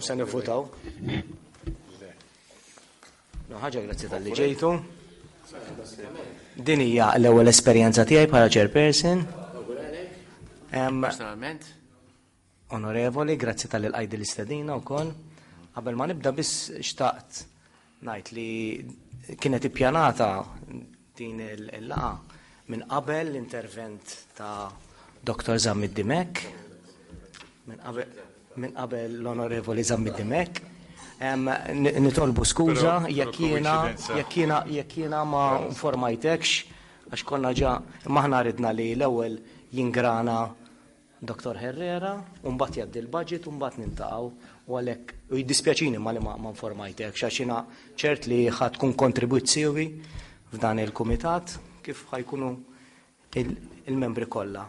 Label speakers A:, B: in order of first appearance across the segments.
A: U se nivvutaw. No, ħaġa grazzi tal-li ġejtu. Din hija l-ewwel esperjenza tiegħi bħala chairperson.
B: Personalment.
A: Onorevoli, grazzi tal-li l-qajdi l-istedina wkoll. Qabel ma nibda biss xtaqt ngħid li kienet ippjanata din il-laqa minn qabel l-intervent ta' Dr. Zammit Dimek, minn qabel l-Onorevoli Zammit Dimek. Nitolbu skuża jekk jiena jekk jiena jekk jiena ma informajtekx għax konna ġa imma aħna ridna li l-ewwel jingrana Dottor Herrera, u mbagħad jgħaddi l-budget u mbagħad niltaqgħu u għalhekk u jiddispjaċini ma li ma informajtekx għax jiena ċert li ħa tkun kontribwit siewi f'dan il-kumitat kif ħa jkunu il-membri kollha.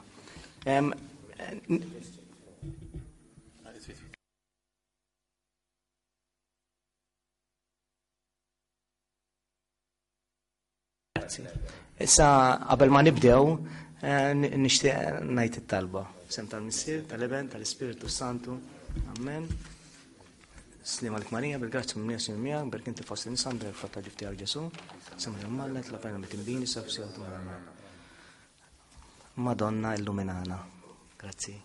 A: Grazzi. Issa qabel ma nibdew eh, nixtieq ngħid it-talba. Sem tal-Missier, tal-Eben, tal-Ispirtu Santu. Amen. Slim għalik Marija, bil-grazzja minn Jesu miegħek, berk inti fost insan, berk fatta ġif tiegħek Ġesu. Sem mallet la pena mit-timbini, saf Madonna illuminana. Grazzi.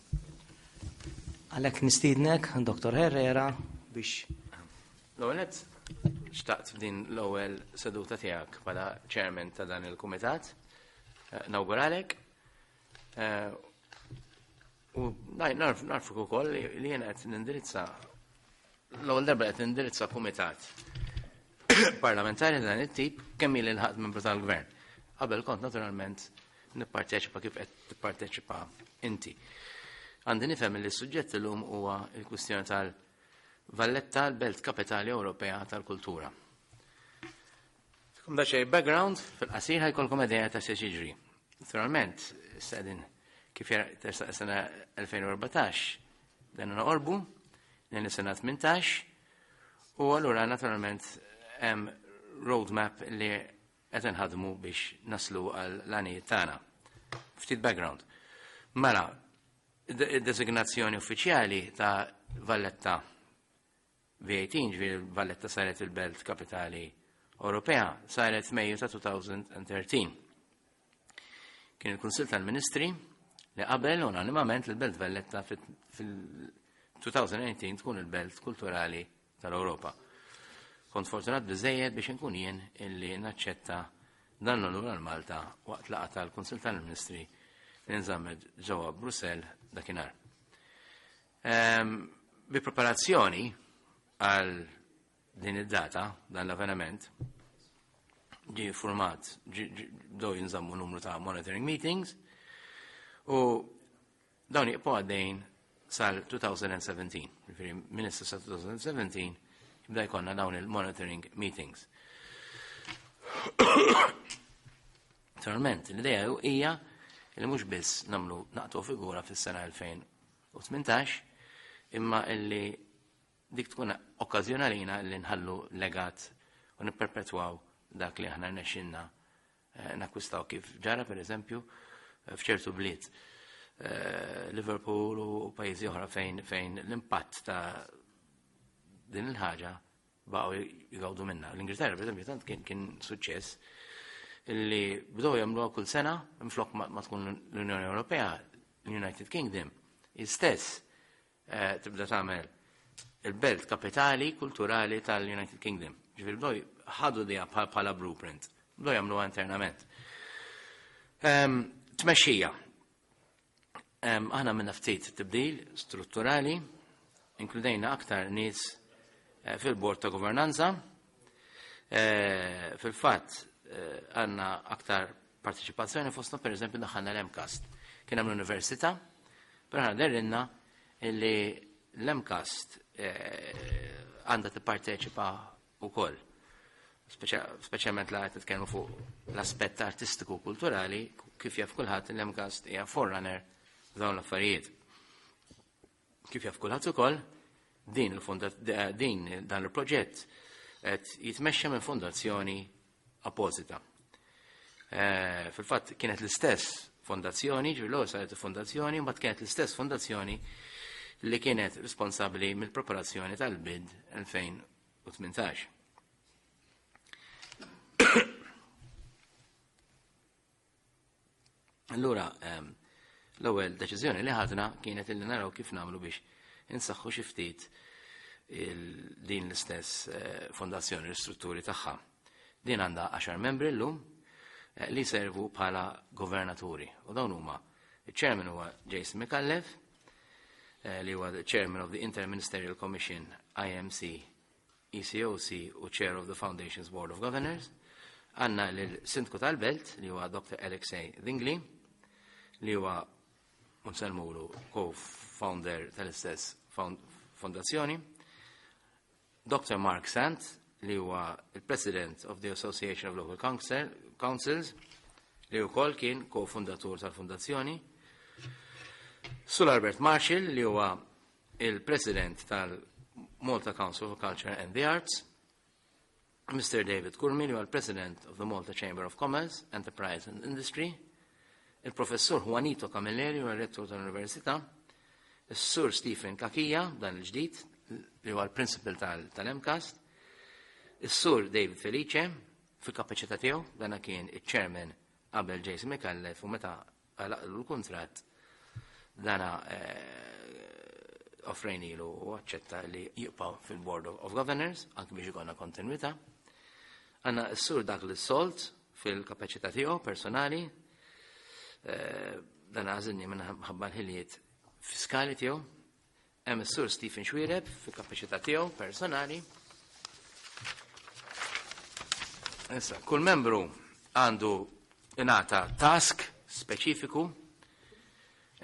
A: Għalhekk nistiednek, Dr. Herrera, biex
B: L-ewwel nett xtaqt f'din l-ewwel seduta tiegħek bħala chairman ta' dan il-kumitat eh, nawguralek eh, u narfuk ukoll li jiena qed nindirizza l-ewwel darba qed nindirizza kumitat parlamentari dan it-tip kemm ili l-ħadd membru tal-gvern. Qabel kont naturalment nipparteċipa kif qed tipparteċipa inti. Għandi nifhem li s-suġġett illum huwa l-kwistjoni tal- Valletta l-Belt Kapitali Ewropea tal-Kultura. Fikum da xej background, fil-qasir ħajkolkom idea ta' se jiġri. Naturalment, s-sedin kif tersaq sena 2014, dan noqorbu, lejn is-sena 18, u allura naturalment hemm roadmap li qed inħadmu biex naslu għal l-għanijiet tagħna. Ftit background. Mela, Id-designazzjoni uffiċjali ta' Valletta V18, ġifieri Valletta saret il-belt kapitali Ewropea, saret f'Mejju ta' 2013. Kien il-Kunsill tal-Ministri li qabel unanimament l-Belt Valletta fil-2018 tkun il-belt kulturali tal-Ewropa. Kont fortunat biżejjed biex inkun jien illi naċċetta dan l-onur għal Malta waqt laqgħa tal-Kunsill tal-Ministri li nżammet ġewwa Brussell dakinhar. Ehm, bi preparazzjoni għal din id-data, dan l-avveniment, ġi format, bdew jinżammu numru ta' monitoring meetings u Dawn jibqgħu għaddejjin sal-2017, jiġifieri minn issa sa 2017 jibda jkollna dawn il-monitoring meetings. Naturalment, l-idea hija li mhux biss nagħmlu naqtu figura fis-sena 2018, imma illi dik tkun okkażjoni għalina li nħallu legat u nipperpetwaw dak li aħna rnexxinna eh, nakkwistaw kif ġara per eżempju eh, f'ċertu bliet eh, Liverpool u pajjiżi oħra fejn fejn l-impatt ta' din il-ħaġa baqgħu jgawdu minna. L-Ingilterra per eżempju tant kien, kien suċċess li bdew jagħmluha kull sena minflok ma tkun l-Unjoni Ewropea, l-United Kingdom, istess Eh, tibda tagħmel il-belt kapitali kulturali tal-United Kingdom. Ġifieri bdew ħadu dija bħala blueprint, bdew jagħmluha internament. Ehm, tmexxija. Ehm, aħna minna ftit tibdil strutturali, inkludejna aktar nies eh, fil-bord ta' governanza. Eh, fil-fatt għandna aktar Parteċipazzjoni fostna per eżempju daħħalna l-MCAST. Kien hemm l-università, però aħna derrinna li l-MCAST eh, għandha tipparteċipa wkoll. Speċjalment la qed nitkellmu fuq l-aspett artistiku u kulturali, kif jaf kulħadd l-MCAST hija forerunner f'dawn l-affarijiet. Kif jaf kulħadd ukoll, din il din dan il-proġett qed jitmexxa minn fondazzjoni appożita. Eh, fil-fatt kienet l-istess fondazzjoni, ġifieri l saret fondazzjoni, mbagħad kienet l-istess fondazzjoni li kienet responsabbli mill-preparazzjoni tal-bid 2018. Allura, ehm, l-ewwel deċiżjoni li ħadna kienet illi naraw kif nagħmlu biex insaħħu xi ftit din l-istess eh, fondazzjoni l-istrutturi tagħha. Din għandha 10 membri llum eh, li servu bħala governaturi u dawn huma il-chairman huwa Jason Micallef eh, li huwa chairman of the Interministerial Commission IMC ECOC u Chair of the Foundation's Board of Governors, għanna l-Sindku tal-Belt li huwa Dr. Alexei Dingli li huwa unsellmulu co-founder tal-istess fondazzjoni, Dr. Mark Sant li huwa il-President of the Association of Local Councils li wkoll kien co-fundatur tal-fondazzjoni, Sul Albert Marshall li huwa il-President tal-Malta Council for Culture and the Arts, Mr. David Curmi, li huwa l-President of the Malta Chamber of Commerce, Enterprise and Industry, il-Professur Juanito Camilleri, huwa rettur tal-Università, is-Sur Stephen Kakija, dan il-ġdid, li huwa l-Principal tal-MCAST, is-Sur David Felice, fil-kapaċità tiegħu, dan kien iċ-Chairman qabel Jason Micallef u meta għalaqlu l-kuntratt dana eh, offrejnilu u aċċetta li jibqa' fil-Board of Governors anki biex ikonna kontinuità. Għanna s-sur dak li solt fil-kapaċità tiegħu personali, eh, dan għażilni minħabba l-ħiliet fiskali tiegħu, Hemm is-Sur Stephen Xuereb fil-kapaċità tiegħu personali. Issa, kull membru għandu ingħata task speċifiku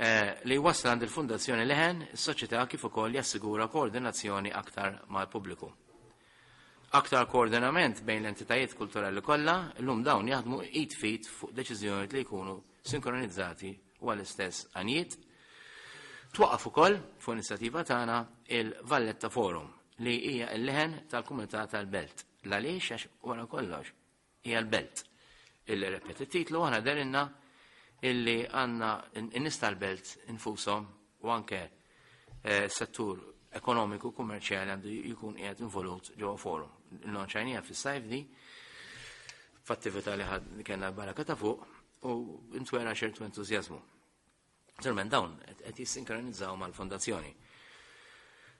B: eh, li jwassal għand il-Fundazzjoni Leħen, is-soċjetà kif ukoll jassigura koordinazzjoni aktar mal-pubbliku. Aktar koordinament bejn l-entitajiet kulturali kollha, illum dawn jaħdmu id fit fuq deċiżjonijiet li jkunu sinkronizzati u għall-istess għanijiet. Twaqqaf ukoll fuq inizjattiva tagħna il-Valletta Forum li hija l-leħen tal-komunità tal-belt. L-għaliex għax wara kollox hija l-belt. Illi repet it-titlu aħna derinna illi għandna n-nies tal-belt infushom u anke eh, settur ekonomiku kummerċjali għandu jkun qiegħed involut ġewwa forum. Nonċajnija fis-sajf di f'attività li ħad kellna l-baraka ta' fuq u ntwera ċertu entużjażmu. Naturalment dawn qed jissinkronizzaw mal-fondazzjoni.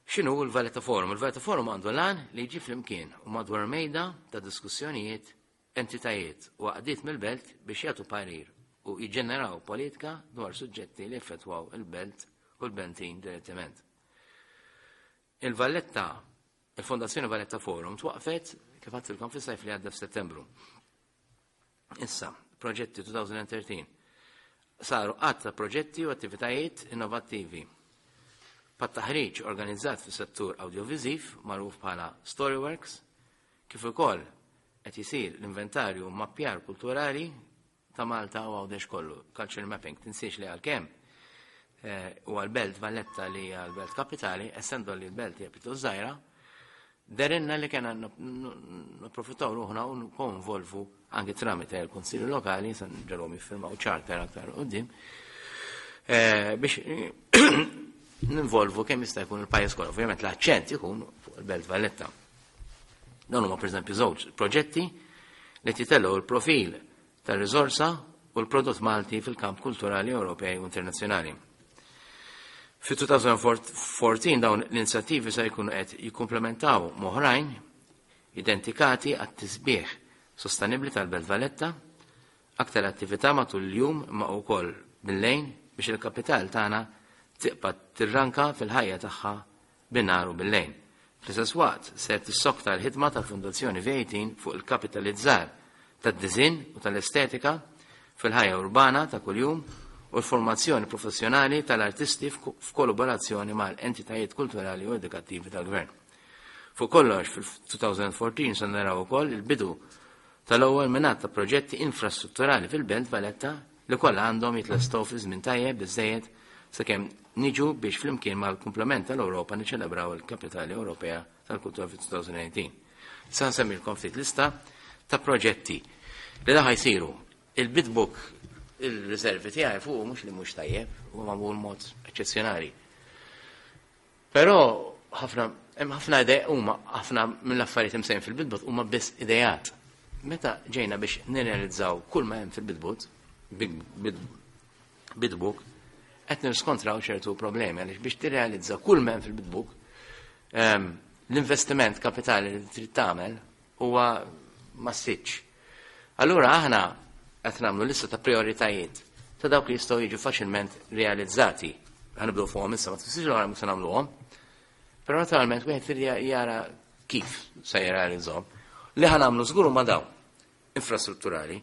B: X'inhu l-Valletta Forum? Il-Valletta Forum għandu lan li jġib flimkien u madwar mejda ta' diskussjonijiet, entitajiet u għaqdiet mill-belt biex jagħtu parir u jiġġeneraw politika dwar suġġetti li effettwaw il-belt u l-bentin direttament. Il-Valletta, il-Fondazzjoni Valletta Forum twaqfet kif għadtilkom fis-sajf li għadda f'Settembru. Issa, proġetti 2013. Saru għadd ta' proġetti u attivitajiet innovattivi. Pat-taħriġ organizzat fis-settur awdjoviżiv magħruf bħala Storyworks, kif ukoll qed isir l-inventarju mappjar kulturali ta' Malta u Għawdex kollu, culture mapping. Tinsiex li għalkemm eh, u għal-belt Valletta li hija l-belt kapitali, essendo li l-belt hija pjuttost żgħira, Derinna li kena napprofittaw ruħna u nkonvolvu anki tramite l-Konsilju Lokali, san ġalhom jiffirmaw charter aktar qudiem, eh, biex ninvolvu kemm jista' jkun il-pajjiż kollu. Ovvjament l-aċċent ikun fuq il-Belt Valletta. Dawn huma pereżempju żewġ proġetti li titellgħu l-profil tar-riżorsa u l-prodott Malti fil-kamp kulturali Ewropej u internazzjonali. Fi-2014 dawn l-inizjattivi se jkunu qed jikkumplementaw m'oħrajn identikati għat-tisbieħ sostenibbli tal-Belt Valletta, aktar attività matul il-jum imma wkoll bil-lejn biex il-kapital tagħna tibqa' tirranka fil-ħajja tagħha bin-nhar u bil-lejl. Fl-istess waqt, ser tissokta l-ħidma tal-Fondazzjoni V18 fuq il-kapitalizzar tad-diżinn u tal-estetika fil-ħajja urbana ta' kuljum u l-formazzjoni professjonali tal-artisti f'kollaborazzjoni mal-entitajiet kulturali u edukattivi tal-Gvern. Fuq kollox, fil-2014 se naraw ukoll il-bidu tal-ewwel minn ta' proġetti infrastrutturali fil-Belt Valletta li kollha għandhom jitlestew fi żmien tajjeb biżżejjed sakemm niġu biex flimkien mal-kumplament tal-Ewropa niċċelebraw il-Kapitali Ewropea tal-Kultura fi-2019. Sa nsemmilkom ftit lista ta' proġetti li daħ jsiru. Il-bitbook il-riservi tiegħi fuq mhux li mhux tajjeb, huwa magħmul mod eċċezzjonali. Però ħafna hemm ħafna idea huma ħafna mill-affarijiet imsejn fil-Bid Booth huma biss ideat. Meta ġejna biex nirrealizzaw kull ma hemm fil-Bid Booth, Bid Book, qed nirskontraw ċertu problemi għaliex biex tirrealizza kull ma hemm fil-Bid Book, l-investiment kapitali li trid tagħmel huwa massiċ. Allura aħna qed nagħmlu lista ta' prioritajiet ta' dawk li jistgħu jiġu faċilment realizzati. Ħa nibdew fuqhom issa, ma tfissirx li mhux se nagħmluhom. Però naturalment wieħed irid jara kif se jirrealizzahom. Li ħa nagħmlu żgur huma dawn infrastrutturali.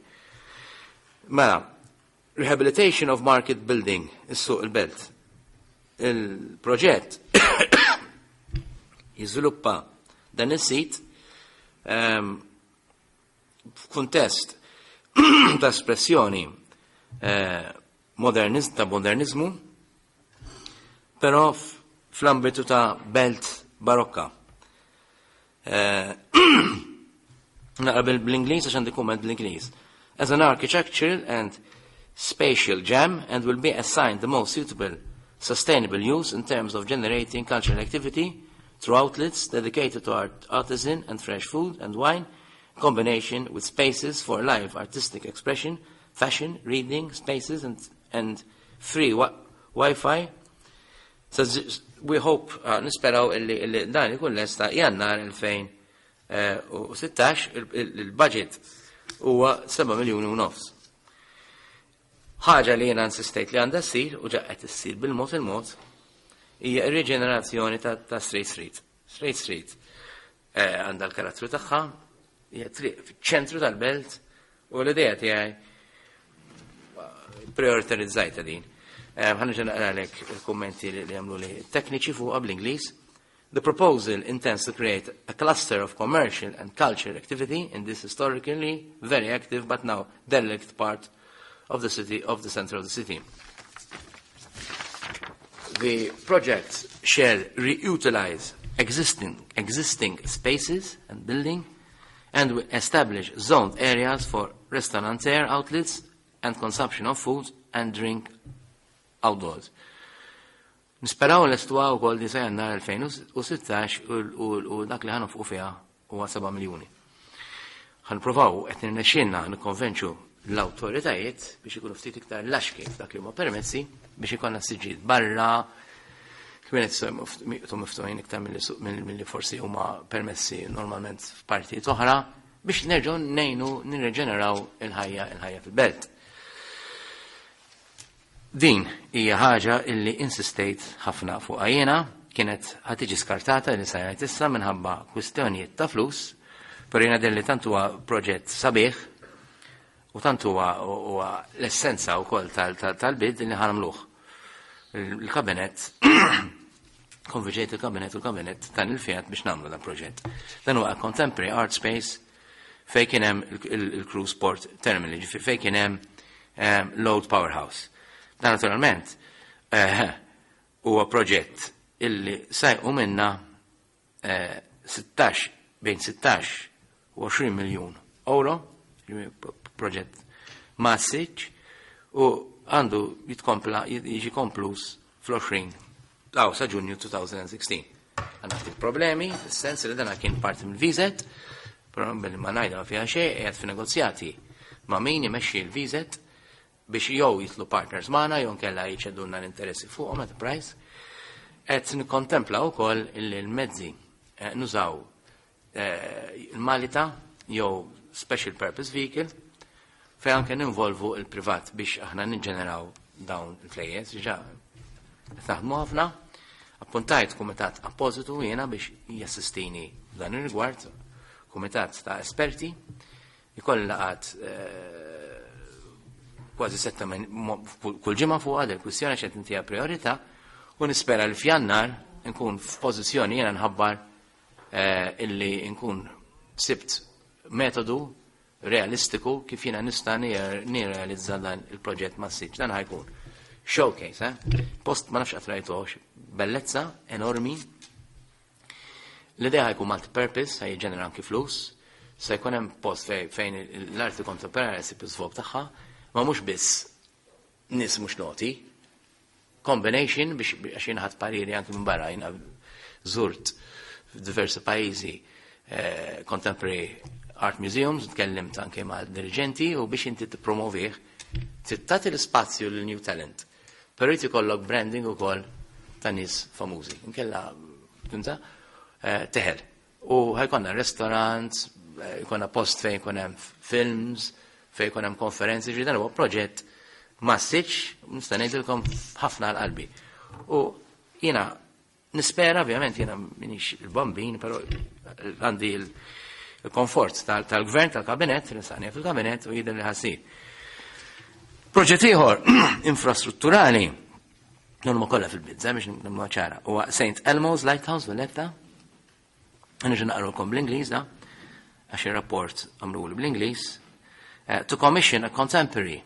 B: Mela, rehabilitation of market building, is-suq il-belt. Il-proġett jiżviluppa dan is-sit f'kuntest ta' espressjoni ta' modernizmu, però fl-ambitu ta' belt barokka. Naqra bl-Ingliż għax għandi kumment bl-Ingliż. As an architectural and spatial gem and will be assigned the most suitable sustainable use in terms of generating cultural activity through outlets dedicated to art, artisan and fresh food and wine, in combination with spaces for live artistic expression, fashion, reading spaces and free Wi-Fi. So we hope, nisperaw illi dan ikun lesta Jannar 2016, il-budget huwa 7 miljuni u nofs. Ħaġa li jiena insistejt li għandha ssir u ġa qed issir bil-mod il-mod hija r-riġenerazzjoni ta' Straight Street. Straight Street għandha l-karattru tagħha, hija triq fiċ-ċentru tal-belt u l-idea tiegħi prioritarizzajta din. Ħa nerġa' naqralek il-kummenti li għamlu li tekniċi fuqha bl-Ingliż. The proposal intends to create a cluster of commercial and cultural activity in this historically very active but now derelict part of the city, of the center of the city. The project shall reutilize existing spaces and building and will establish zoned areas for restaurateur outlets and consumption of food and drink outdoors. Nisperaw nlestuha wkoll di sa Jannar 2016 u dak li ħa nonfqu fiha huwa 7 miljuni. Ħa nippruvaw qed nirnexxielna nikkonvenċu l-awtoritajiet biex ikunu ftit iktar laxki f'dak li huma permessi biex ikollna siġġijiet barra, kienet miftuħin iktar milli forsi huma permessi normalment f'partijiet oħra biex nerġgħu ngħinu nirreġeneraw il-ħajja fil-belt. Din hija ħaġa illi insistejt ħafna fuq jiena, kienet ħa tiġi skartata li sa jgħid issa minħabba kwistjonijiet ta' flus, però jiena li tant huwa proġett sabiħ u tant huwa l-essenza wkoll tal-bid li ħa nagħmluh. Il-kabinet konvinċejt il-kabinet u l-kabinet tan il-fiat biex nagħmlu dan proġett. Dan huwa contemporary art space fej kien hemm il-cruise port terminal, ġifieri fej kien hemm l-old powerhouse. Dan naturalment huwa proġett illi sa jqum minna 16 bejn 16 u 20 miljun euro, proġett massiċ, u għandu jitkompla jiġi konkluż fl-20 law sa Ġunju 2016. Għandna ftit problemi, fis-sens li dana kien parti mill-VZ, però billi ma ngħidha fiha xejn qiegħed fi negozjati ma' min imexxi l-VZ biex jew jidħlu partners magħna jew nkella jċedulna l-interessi fuqhom at price. Qed nikkontempla wkoll illi l-mezzi nużaw il-Malita jew special purpose vehicle fej anke ninvolvu il-privat biex aħna niġġeneraw dawn il-flejjes, ġa naħdmu ħafna. Appuntajt kumitat appositu jiena biex jassistini dan ir-rigward, kumitat ta' esperti, ikolli laqgħat kważi setta kull ġimgħa fuq għad il-kwistjoni xed intija priorità u nispera li f'Jannar nkun f'pożizzjoni jiena nħabbar illi nkun sibt metodu realistiku kif jiena nista' nirrealizza dan il-proġett massiċ. Dan ħa jkun showcase, eh? Post ma nafx qatt rajtuhx, bellezza enormi. L-idea ħa jkun multi-purpose, ħa jiġġenera anki flus, se jkun hemm post fejn l-arti kontemporanea ssib iż-żvog tagħha, ma mhux biss nies mhux noti. combination biex għax jiena ħadt pariri anke minn barra, jiena żurt f'diversi pajjiżi contemporary art museums, tkellimt anke ma' dirigenti u biex inti tippromovih, trid tagħti l-ispazju lil new talent. Però jrid ikollok branding ukoll ta' nies famużi. Inkella, fhimta? Teħel. U ħa jkollna restaurants, jkollna post fejn jkun hemm films, fejn jkun hemm konferenzi, ġi dan huwa proġett massiċ, nista' ngħidilkom ħafna għal qalbi. U jiena nispera, ovvjament jiena minix il-bambin, però għandi il-komfort tal-gvern, tal-kabinet, nistaqni fil-kabinet u jidher li ħassir. Proġett ieħor infrastrutturali, non ma kollha fil-bizza biex nagħmlu ċara, huwa St. Elmo's Lighthouse Valletta. Nerġa' naqralkom bl-Ingliż da, għax ir-rapport għamlu bl-Ingliż. To commission a contemporary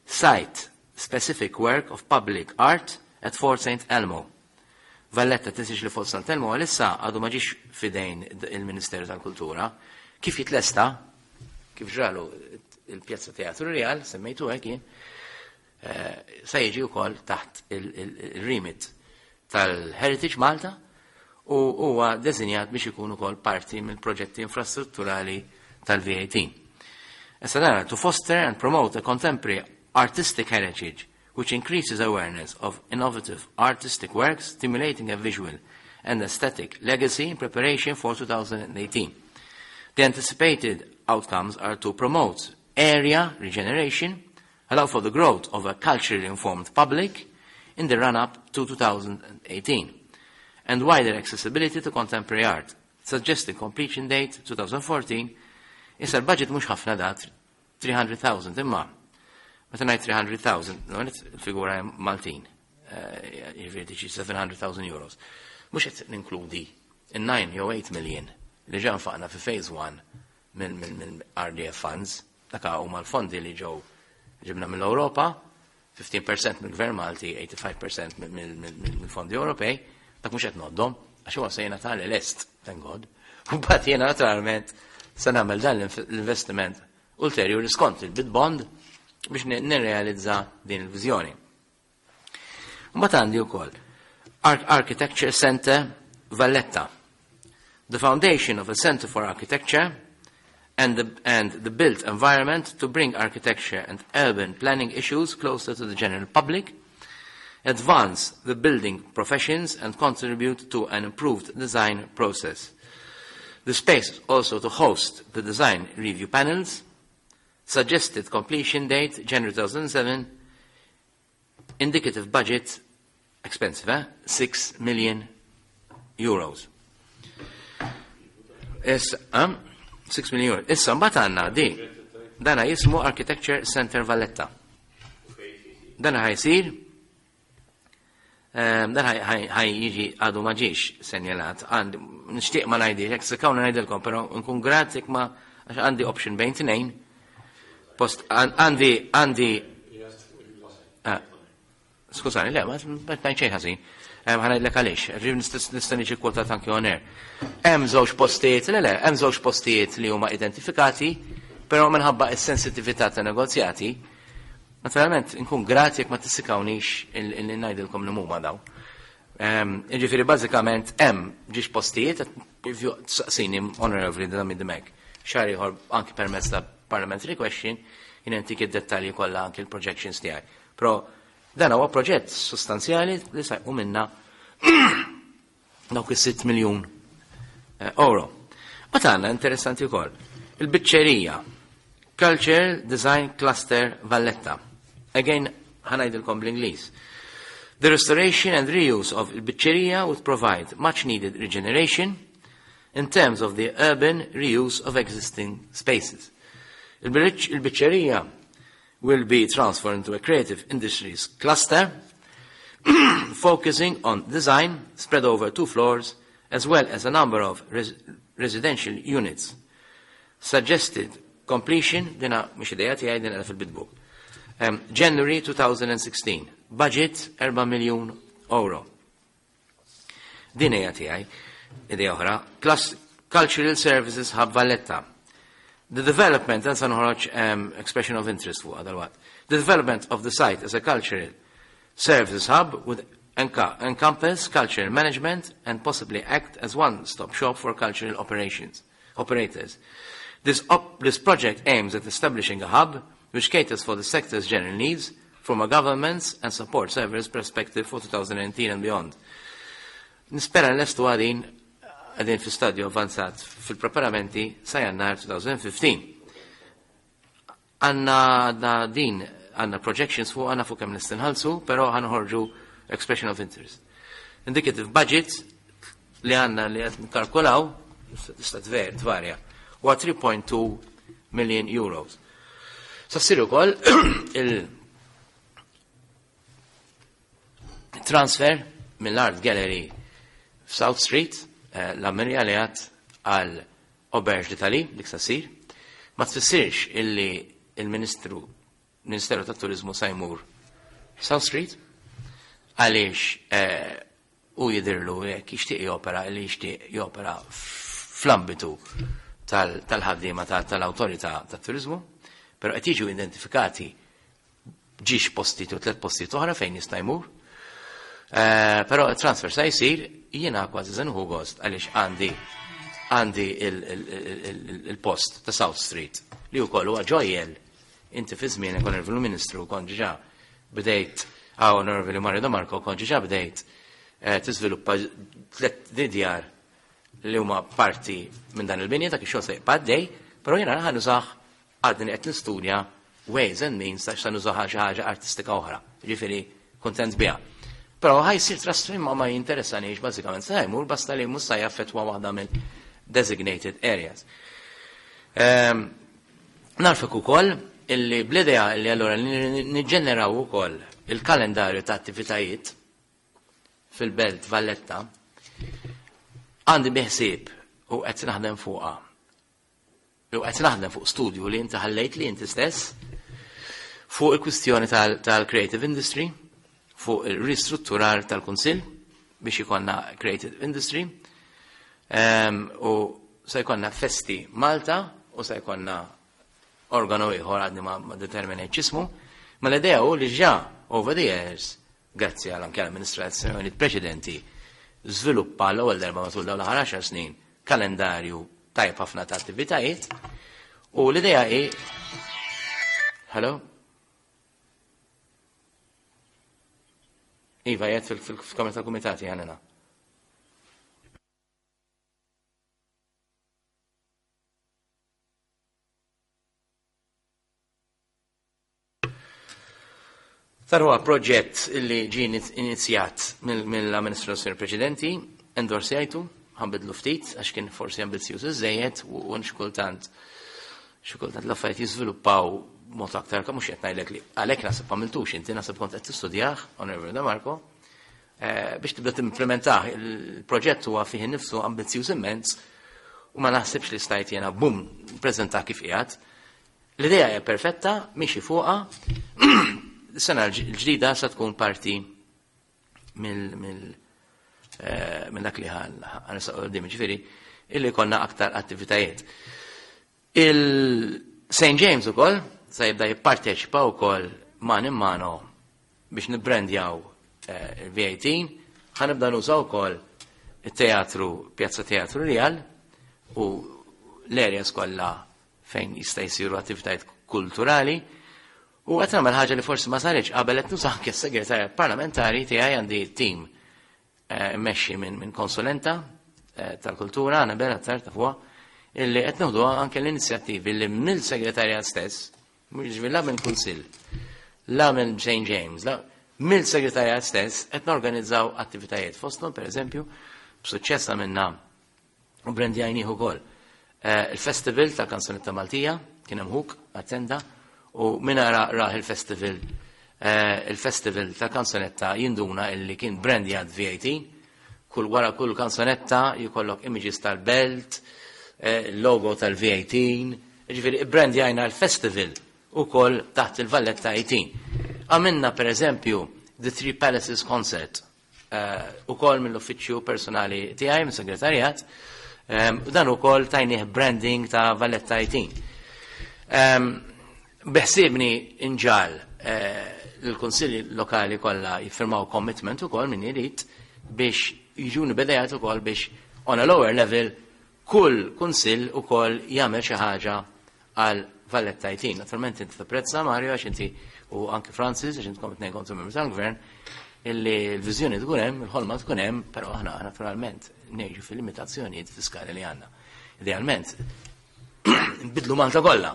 B: site specific work of public art at Fort St. Elmo. Valletta, tinsiex li Fort St. Elmo għalissa għadu ma ġiex fidejn il-Ministeru tal-Kultura. Kif jitlesta, kif ġralu il-Pjazza Teatru Real, semmejtu hekk jien, se jiġi wkoll taħt il-remit tal-Heritage Malta u huwa deżinjat biex ikun ukoll parti mill-proġetti infrastrutturali tal-VAT. Issa dara, to foster and promote a contemporary artistic heritage which increases awareness of innovative artistic works, stimulating a visual and aesthetic legacy in preparation for 2018. The anticipated outcomes are to promote area regeneration, allow for the growth of a culturally informed public in the run-up to 2018, and wider accessibility to contemporary art. Suggested completion date 2014. Issa l-budget mhux ħafna dat 300,000, imma meta ngħid 300,000, il-figura Maltin, jiġifieri xi 700,000 euros. Mhux qed ninkludi in-9 jew 8 million li ġa nfaqna fi phase 1 minn RDF funds, dak huma l-fondi li ġew ġibna mill-Ewropa, 15% mill-Gvern Malti, 85% mill-fondi Ewropej, dak mhux qed ngħoddhom, għax huwa se jingħata lest, thank God. U mbagħad jiena naturalment se nagħmel dan l-investiment ulterjuri skont il-bid bond biex nirrealizza din il-viżjoni. Mbagħad għandi wkoll Architecture Center Valletta. The foundation of a Center for Architecture and the built environment to bring architecture and urban planning issues closer to the general public, advance the building professions and contribute to an improved design process. The space also to host the design review panels, suggested completion date January 2007, indicative budget, expensive, eh? 6 million euros. Is, 6 million euros. Issa, mbagħad għandna di, dana jismu Architecture Center Valletta. Dana ħa jsir, dan ħa jiġi għadu ma ġiex senjalat, għandi, nixtieq ma ngħidix, jekk sikkawna ngħidilkom, però nkun grat jekk ma, għax għandi option bejn tnejn, post għandi, skużani, le, ma ngħid xejn ħażin. Ħa ngħidlek għaliex, rrid nista' niġi kwotat anke on air. Hemm żewġ postijiet, le, hemm żewġ postijiet li huma identifikati, però minħabba s-sensitività ta' negozjati, naturalment nkun grat jekk ma tissikkawniex il ngħidilkom li huma daw. Jiġifieri bażikament hemm ġiex postijiet, saqsini honorably Zammit Dimech. Xahar ieħor anki permezz ta' parliamentary question, jien intik id-dettalji kollha anki l-projections tiegħi. Però dan huwa proġett sostanzjali li sa jqum minna dawk is-6 miljun euro. Ma tagħna interessanti wkoll. Il-biċċerija Culture Design Cluster Valletta. Again, ħa ngħidilkom bl-Ingliż. The restoration and reuse of il-biċċerija would provide much needed regeneration in terms of the urban reuse of existing spaces. Il-biċċerija will be transformed into a creative industries cluster focusing on design spread over two floors as well as a number of residential units. Suggested completion, dina mhux idea tiegħi, dina fil-bid book. January 2016, budget 4 miljun euro. Din hija tiegħi, idea oħra, Cultural Services Hub Valletta. The development, dan sa noħroġ expression of interest fuq dal-waqt. The development of the site as a cultural Services hub would encompass cultural management and possibly act as one-stop shop for cultural operations operators. This, op this project aims at establishing a hub which caters for the sector's general needs from a government's and support service perspective for 2019 and beyond. Nispera l-estu għadin għadin fi stadju avanzat fil-preparamenti sa jannar 2015. Għanna din, għanna projections fuq għanna fuq kemm nistinħalsu, pero ħanħorġu expression of interest. Indicative budget li għanna li għed nkalkulaw, tista' tvarja, huwa 3.2 million euros. Sa ssir ukoll il-transfer mill-Art Gallery f'South Street, eh, l-Ammirja li għad għal Auberge d'Italie, dik sa ssir. Ma tfissirx illi il-Ministru Ministeru tat-Turiżmu sa jmur South Street għaliex eh, u jidhirlu jekk jixtieq jopera li jixtieq jopera fl-ambitu tal-ħaddiema tal-awtorità tat-turiżmu, però qed jiġu identifikati ġiex postijiet u tliet postijiet oħra fejn jista' jmur. Eh, però transfer sa jsir jiena kważi se nieħu gost għaliex għandi għandi il-post ta' South Street li wkoll huwa ġojjel inti fi żmien Onorevoli Ministru kont ġa bdejt ah Onorevoli Mario De Marco kont ġa bdejt eh, tiżviluppa tliet djar li huma parti minn dan il-binja ta' kif xogħol se jibqa' għaddej, però jiena ħa nużah għadni qed nistudja ways and means ta' x'ta nużaha xi ħaġa artistika oħra. Ġifieri kuntent biha. Però ħa jsir trasfer ma ma jinteressanix bażikament se jmur basta li mhux se jaffettwa waħda mill designated areas. Ehm, Narfek ukoll illi bl-idea illi allura niġġeneraw ukoll il-kalendarju ta' attivitajiet fil-Belt Valletta għandi biħsieb u qed naħdem fuqha u qed naħdem fuq studju li inti ħallejt li inti stess fuq il-kwistjoni tal-creative industry, fuq il-ristrutturar tal-Kunsill biex ikonna creative industry um, u se jkollna festi Malta u se jkollna organu ieħor għadni ma, ma determinajt x'ismu, ma l-idea hu li ġa over the years, grazzi għal anke l-amministrazzjoni preċedenti, żviluppa l-ewwel darba matul dawn l-aħħar 10 snin kalendarju tajjeb ħafna ta' attivitajiet u l-idea hi Hello? Iva, jgħed fil-kamra tal-kumitati għanina. Tar huwa proġett li ġie inizjat mill-amministrazzjoni preċedenti, endorsjajtu, ħanbidlu ftit għax kien forsi ambizzjuż iżejjed u xi kultant xi kultant l-affarijiet jiżviluppaw mod aktar mhux qed ngħidlek li għalhekk naħseb għamiltux inti naħseb kont qed tistudjah, Onorevoli De Marco, eh, biex tibda timplementah il-proġett huwa fih innifsu ambizzjuż immens u ma naħsibx li stajt jiena bum preżentah kif qiegħed. L-idea hija perfetta, miexi fuqha. Sena l-ġdida sa tkun parti mill eh, minn dak li ħan ġifieri illi konna aktar attivitajiet. Il-St. James ukoll sa jibda jipparteċipa wkoll man in mano biex nibbrandjaw eh, il-VAT, ħa nibda nużaw ukoll it-teatru, Pjazza Teatru Real u l-areas kollha fejn jista' jsiru attivitajiet kulturali. U qed nagħmel ħaġa li forsi ma saritx qabel qed nuża anke s-segretarja parlamentari tiegħi għandi tim eh, mmexxi minn min konsulenta eh, tal-kultura, għana bella ta' fuqha, illi qed nieħdu anke l-inizjattivi li mill-segretarjat stess, mhux la minn kunsill, la minn St. James, la mill-segretarjat stess qed norganizzaw attivitajiet fosthom pereżempju b'suċċess għamilna u brandjajnieh ukoll. Eh, il-festival ta' kanzunetta Maltija kien hemm ħuk attenda u min ara rah il-festival eh, il-festival ta' kanzunetta jinduna illi kien brandjat VAT kull wara kull kanzunetta jkollok images tal-belt, eh, logo tal-VAT, ġifieri brandjajna l-festival ukoll taħt il-Valletta 18. Għamilna per eżempju The Three Palaces Concert uh, ukoll mill-uffiċċju personali tiegħi mis-segretarjat, um, dan ukoll tajnih branding ta' Valletta 18. Um, Beħsibni inġal uh, l-kunsilli lokali kollha jiffirmaw commitment ukoll min irid biex jiġuni b'idejat ukoll biex on a lower level kull kunsill ukoll jagħmel xi ħaġa għal Valletta 18. Naturalment inti tapprezza Mario għax inti u anki Francis għax intkom it-tnejn kontu membri tal-gvern illi l-viżjoni tkun hemm, il-ħolma tkun hemm, però aħna naturalment ngħixu fil-limitazzjonijiet fiskali li għandna. Idealment, nbidlu Malta kollha,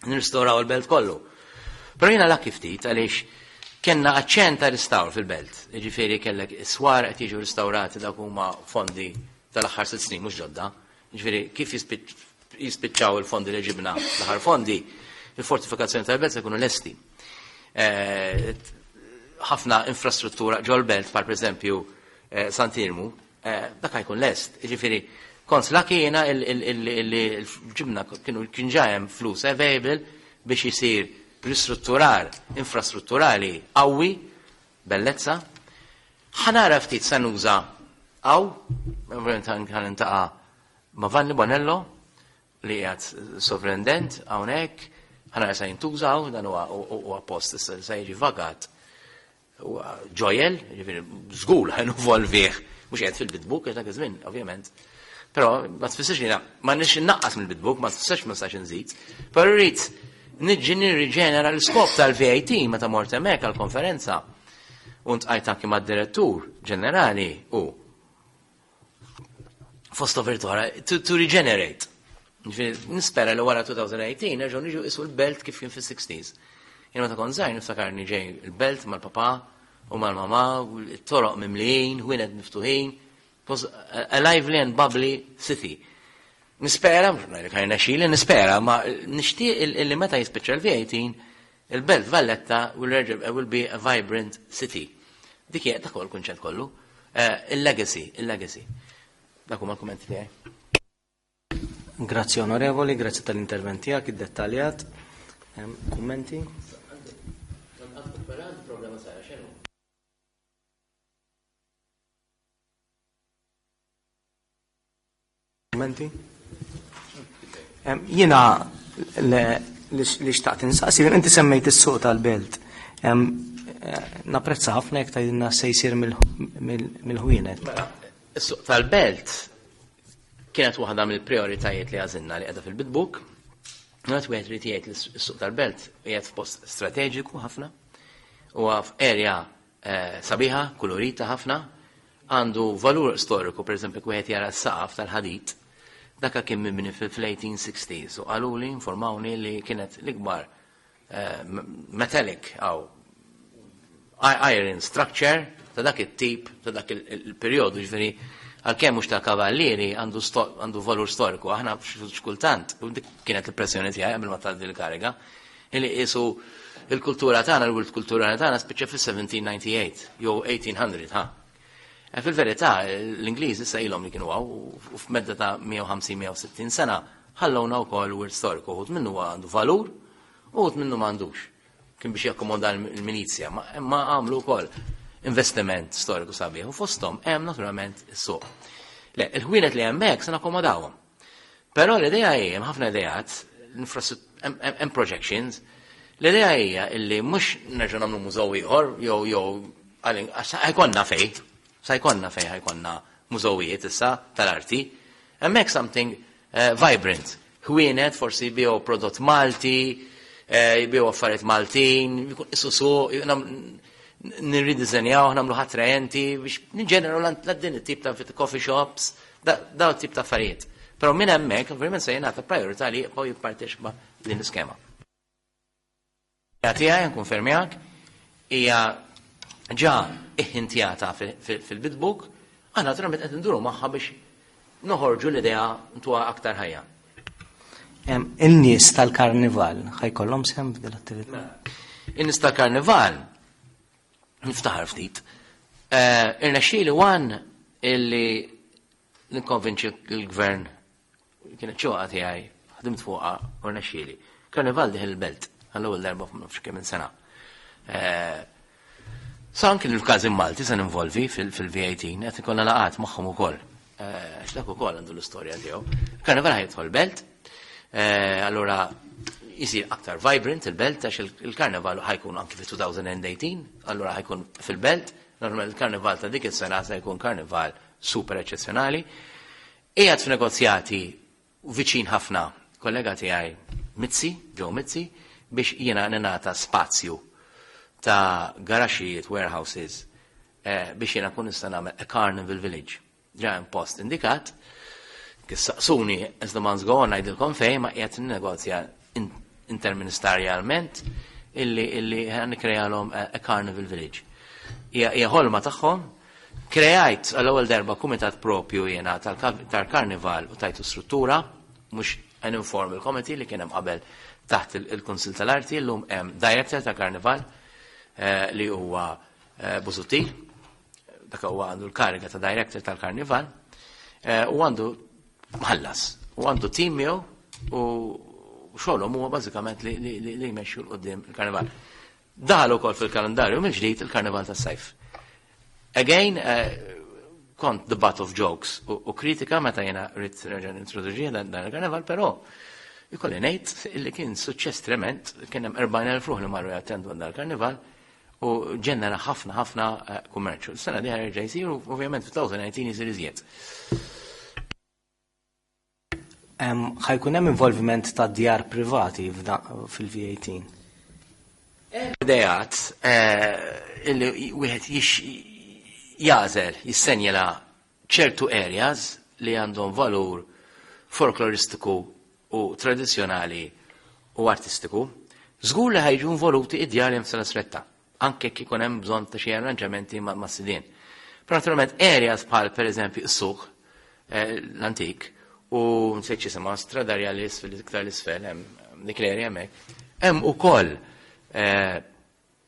B: nirristoraw il-belt kollu. Però jiena lucky ftit għaliex kellna aċċent ta' restawr fil-belt. Jiġifieri kellek is-swar qed jiġu restawrati dak huma fondi tal-aħħar sitt snin mhux ġodda. Jiġifieri kif jispiċċaw il-fondi li ġibna l-aħħar fondi, il-fortifikazzjoni tal-belt se jkunu lesti. Eh, ħafna infrastruttura ġol-belt, par pereżempju eh, Sant'Irmu, eh, dak jkun lest. Jiġifieri kont lucky jiena li ġibna kienu kien ġa hemm flus available biex isir ristrutturar infrastrutturali qawwi, bellezza. Ħa nara ftit sa nuża hawn, ovvjament ħa nintaqa' ma' Vanni Bonello li qiegħed sovrendent hawnhekk, ħa nara sa jintuża hawn, dan huwa post issa li sa jiġi vagat ġojel, ġifieri żgur ħa involvih, mhux qiegħed fil-bid book għax dak iż-żmien, ovvjament. Però ma tfissirx li ma nix innaqqas mill-bid book, ma tfissirx ma nistax inżid. Però rrid niġi nirriġenera l-iskop tal-VAT meta mort hemmhekk għall-konferenza. U ntqajt anki mad-direttur ġenerali u fost oħra to, to regenerate. Nispera li wara 2018 nerġgħu niġu isu l-belt kif kien fis-60s. Jien meta kont żgħir niftakarni ġej il-belt mal-papà u mal-mamà, it-toroq mimlijin, ħwienet miftuħin. It was a lively and bubbly city. Nispera, mhux ngħidlek ħajna xili, nispera, ma nixtieq illi meta jispiċċa l-V18 il-Belt Valletta will, will be a vibrant city. Dik hija dak il-kunċett kollu. Eh, il-legacy, il-legacy. Dak huma l-kummenti tiegħi.
A: Grazzi onorevoli, grazzi tal-intervent tiegħek iddettaljat. Kummenti? Kummenti? Jiena li xtaqt insaqsi, inti semmejt is-suq tal-belt. Eh, napprezza ħafna jekk tgħidilna se jsir mill-ħwienet.
B: Mela, is-suq tal-belt kienet waħda mill-prioritajiet li għażilna li qiegħda fil-bid book. Għat wieħed irid jgħid li s-suq tal-belt qiegħed f'post strateġiku ħafna u f'area eh, sabiħa, kulurita ħafna, għandu valur storiku, per eżempju, wieħed jara s-saqaf tal-ħadid, daka kien mibni fil-1860s u qaluli, informawni li kienet l-ikbar eh, metallic għaw iron structure ta' dak it-tip, ta' dak il-perjodu, ġifieri għalkemm mhux tal-kavallieri għandu valur storiku, aħna xkultant, u dik kienet l-pressjoni tiegħi qabel ma tgħaddi l-kariga, li qisu il-kultura tagħna, l-wirt kulturali tagħna spiċċa fis-1798 jew 1800, ha. E fil-verità, l-Ingliż issa ilhom li kienu hawn u f'medda ta' 150-160 sena ħallowna wkoll wirt storiku, uħud minnu għandu valur u uħud minnu m'għandux. Kien biex jakkomoda l-milizja, ma għamlu wkoll investiment storiku sabiħ u fosthom hemm naturalment is-suq. Le, il-ħwienet li hemmhekk se nakkomodawhom. Però l-idea hi, hemm ħafna ideat, hemm projections, l-idea hija illi mhux nerġgħu nagħmlu mużew ieħor jew jew ħajkonna fej, sa jkollna fej ħajkonna mużewijiet issa tal-arti, hemmhekk something eh, vibrant. Ħwienet forsi jbigħu prodott Malti, eh, jbigħu affarijiet Maltin, jkun isu suq, nirridiżenjaw, nagħmlu attraenti biex niġġeneraw l din it-tip ta' coffee shops, daw tip ta' affarijiet. Però minn hemmhekk ovvjament se jingħata priorità li jibqgħu jipparteċipa din l-iskema. Tiegħi nkonfermjak hija ġa iħintjata fil-bid book, aħna naturalment qed nduru magħha biex noħorġu l-idea ntuha aktar ħajja.
A: In-nies tal-karnival ħajkollhom sehem f'din l-attività?
B: Mela, in-nies tal-karnival niftaħar ftit. Eh, irnexxieli wan illi nikkonvinċi l-gvern Kienet xewqa tiegħi, ħdimt fuqha u rnexxieli. Karnival dieħel il-belt għall-ewwel darba f'nafx kemm sena. Eh, sa anki l-każin Malti se ninvolvi fil-V18 qed ikollna laqat magħhom ukoll. Eh, għax dak ukoll għandu l-istorja tiegħu. Karnival ħajidħol belt, eh, allura Jisir aktar vibrant il-belt għax il-karnival ħa jkun anki fi-2018, allura ħa jkun fil-belt, normalment il-karnival ta' dik is-sena se jkun karnival super eċċezzjonali. Qiegħed f'negozjati viċin ħafna kollega tiegħi Mizzi, Joe Mizzi, biex jiena ningħata spazju ta' garaxijiet, warehouses, biex jiena kun nista' nagħmel a Carnival Village. Ġa hemm post indikat, kif saqsuni as the months go on ngħidilkom fejn ma qiegħed negozja interministerjalment illi nikkrealhom a Carnival Village. Hija ħolma tagħhom. Kreajt għall-ewwel darba kumitat propju jiena tal-Karnival u tajtu struttura, mhux an informal committee li kien hemm qabel taħt il-Kunsil tal-Arti, llum hemm director ta' Karnival li huwa Busuttil, dak huwa għandu l-kariga ta' director tal-Karnival, u għandu mħallas, u għandu team miegħu u xogħolhom huwa bażikament li jmexxu 'l quddiem il-Karnival. Daħal ukoll fil-kalendarju mill-ġdid il-Karnival tas-Sajf. Again, kont the butt of jokes u kritika meta jena rrid nerġa' nintroduċi dan il-karnival, però ikolli ngħid illi kien suċċess trement, kien hemm 40,000 ruħ li marru jattendu dan il-karnival u ġenera ħafna ħafna kummerċu. Sena dieħla jerġa' jsir u ovvjament fi-2019 jsir iżjed.
A: Ħa jkun hemm involviment ta' djar privati fil-V18?
B: Ideat illi wieħed jagħżel, jissenjala ċertu areas li għandhom valur folkloristiku u tradizzjonali u artistiku, żgur li ħa jiġu involuti id-djar li hemm stretta, anke kif ikun hemm bżonn ta' xi arranġamenti ma' sidien. Però naturalment areas bħal pereżempju s-suq l-antik u nsejt x'jisimha Strada Rjali fil-iktar l-isfel hemm dik l-area hemmhekk, hemm ukoll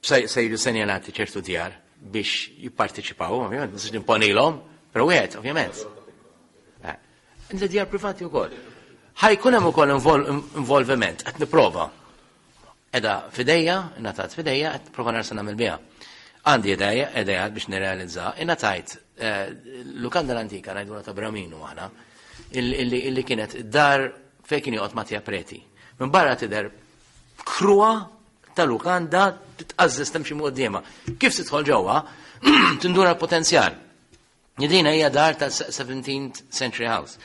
B: se jiġu senjalati ċertu djar biex jipparteċipaw, ovvjament, ma nistax nimponilhom, però wieħed, ovvjament. Djar privati wkoll. Ħa jkun hemm ukoll involviment, qed nipprova. Edha f'idejja, ingħatat f'idejja, qed nipprova nara se nagħmel biha. Għandi idea, idea biex nirrealizza, ingħatajt lukanda l-antika ngħidula ta' Braminu aħna, illi kienet dar fejn kien joqgħod Mattia Preti. Minn barra tidher kruha ta' lukanda titqażżes temxi quddiemha. Kif tidħol ġewwa, tinduna l-potenzjal. Dina hija dar ta' 17th century house.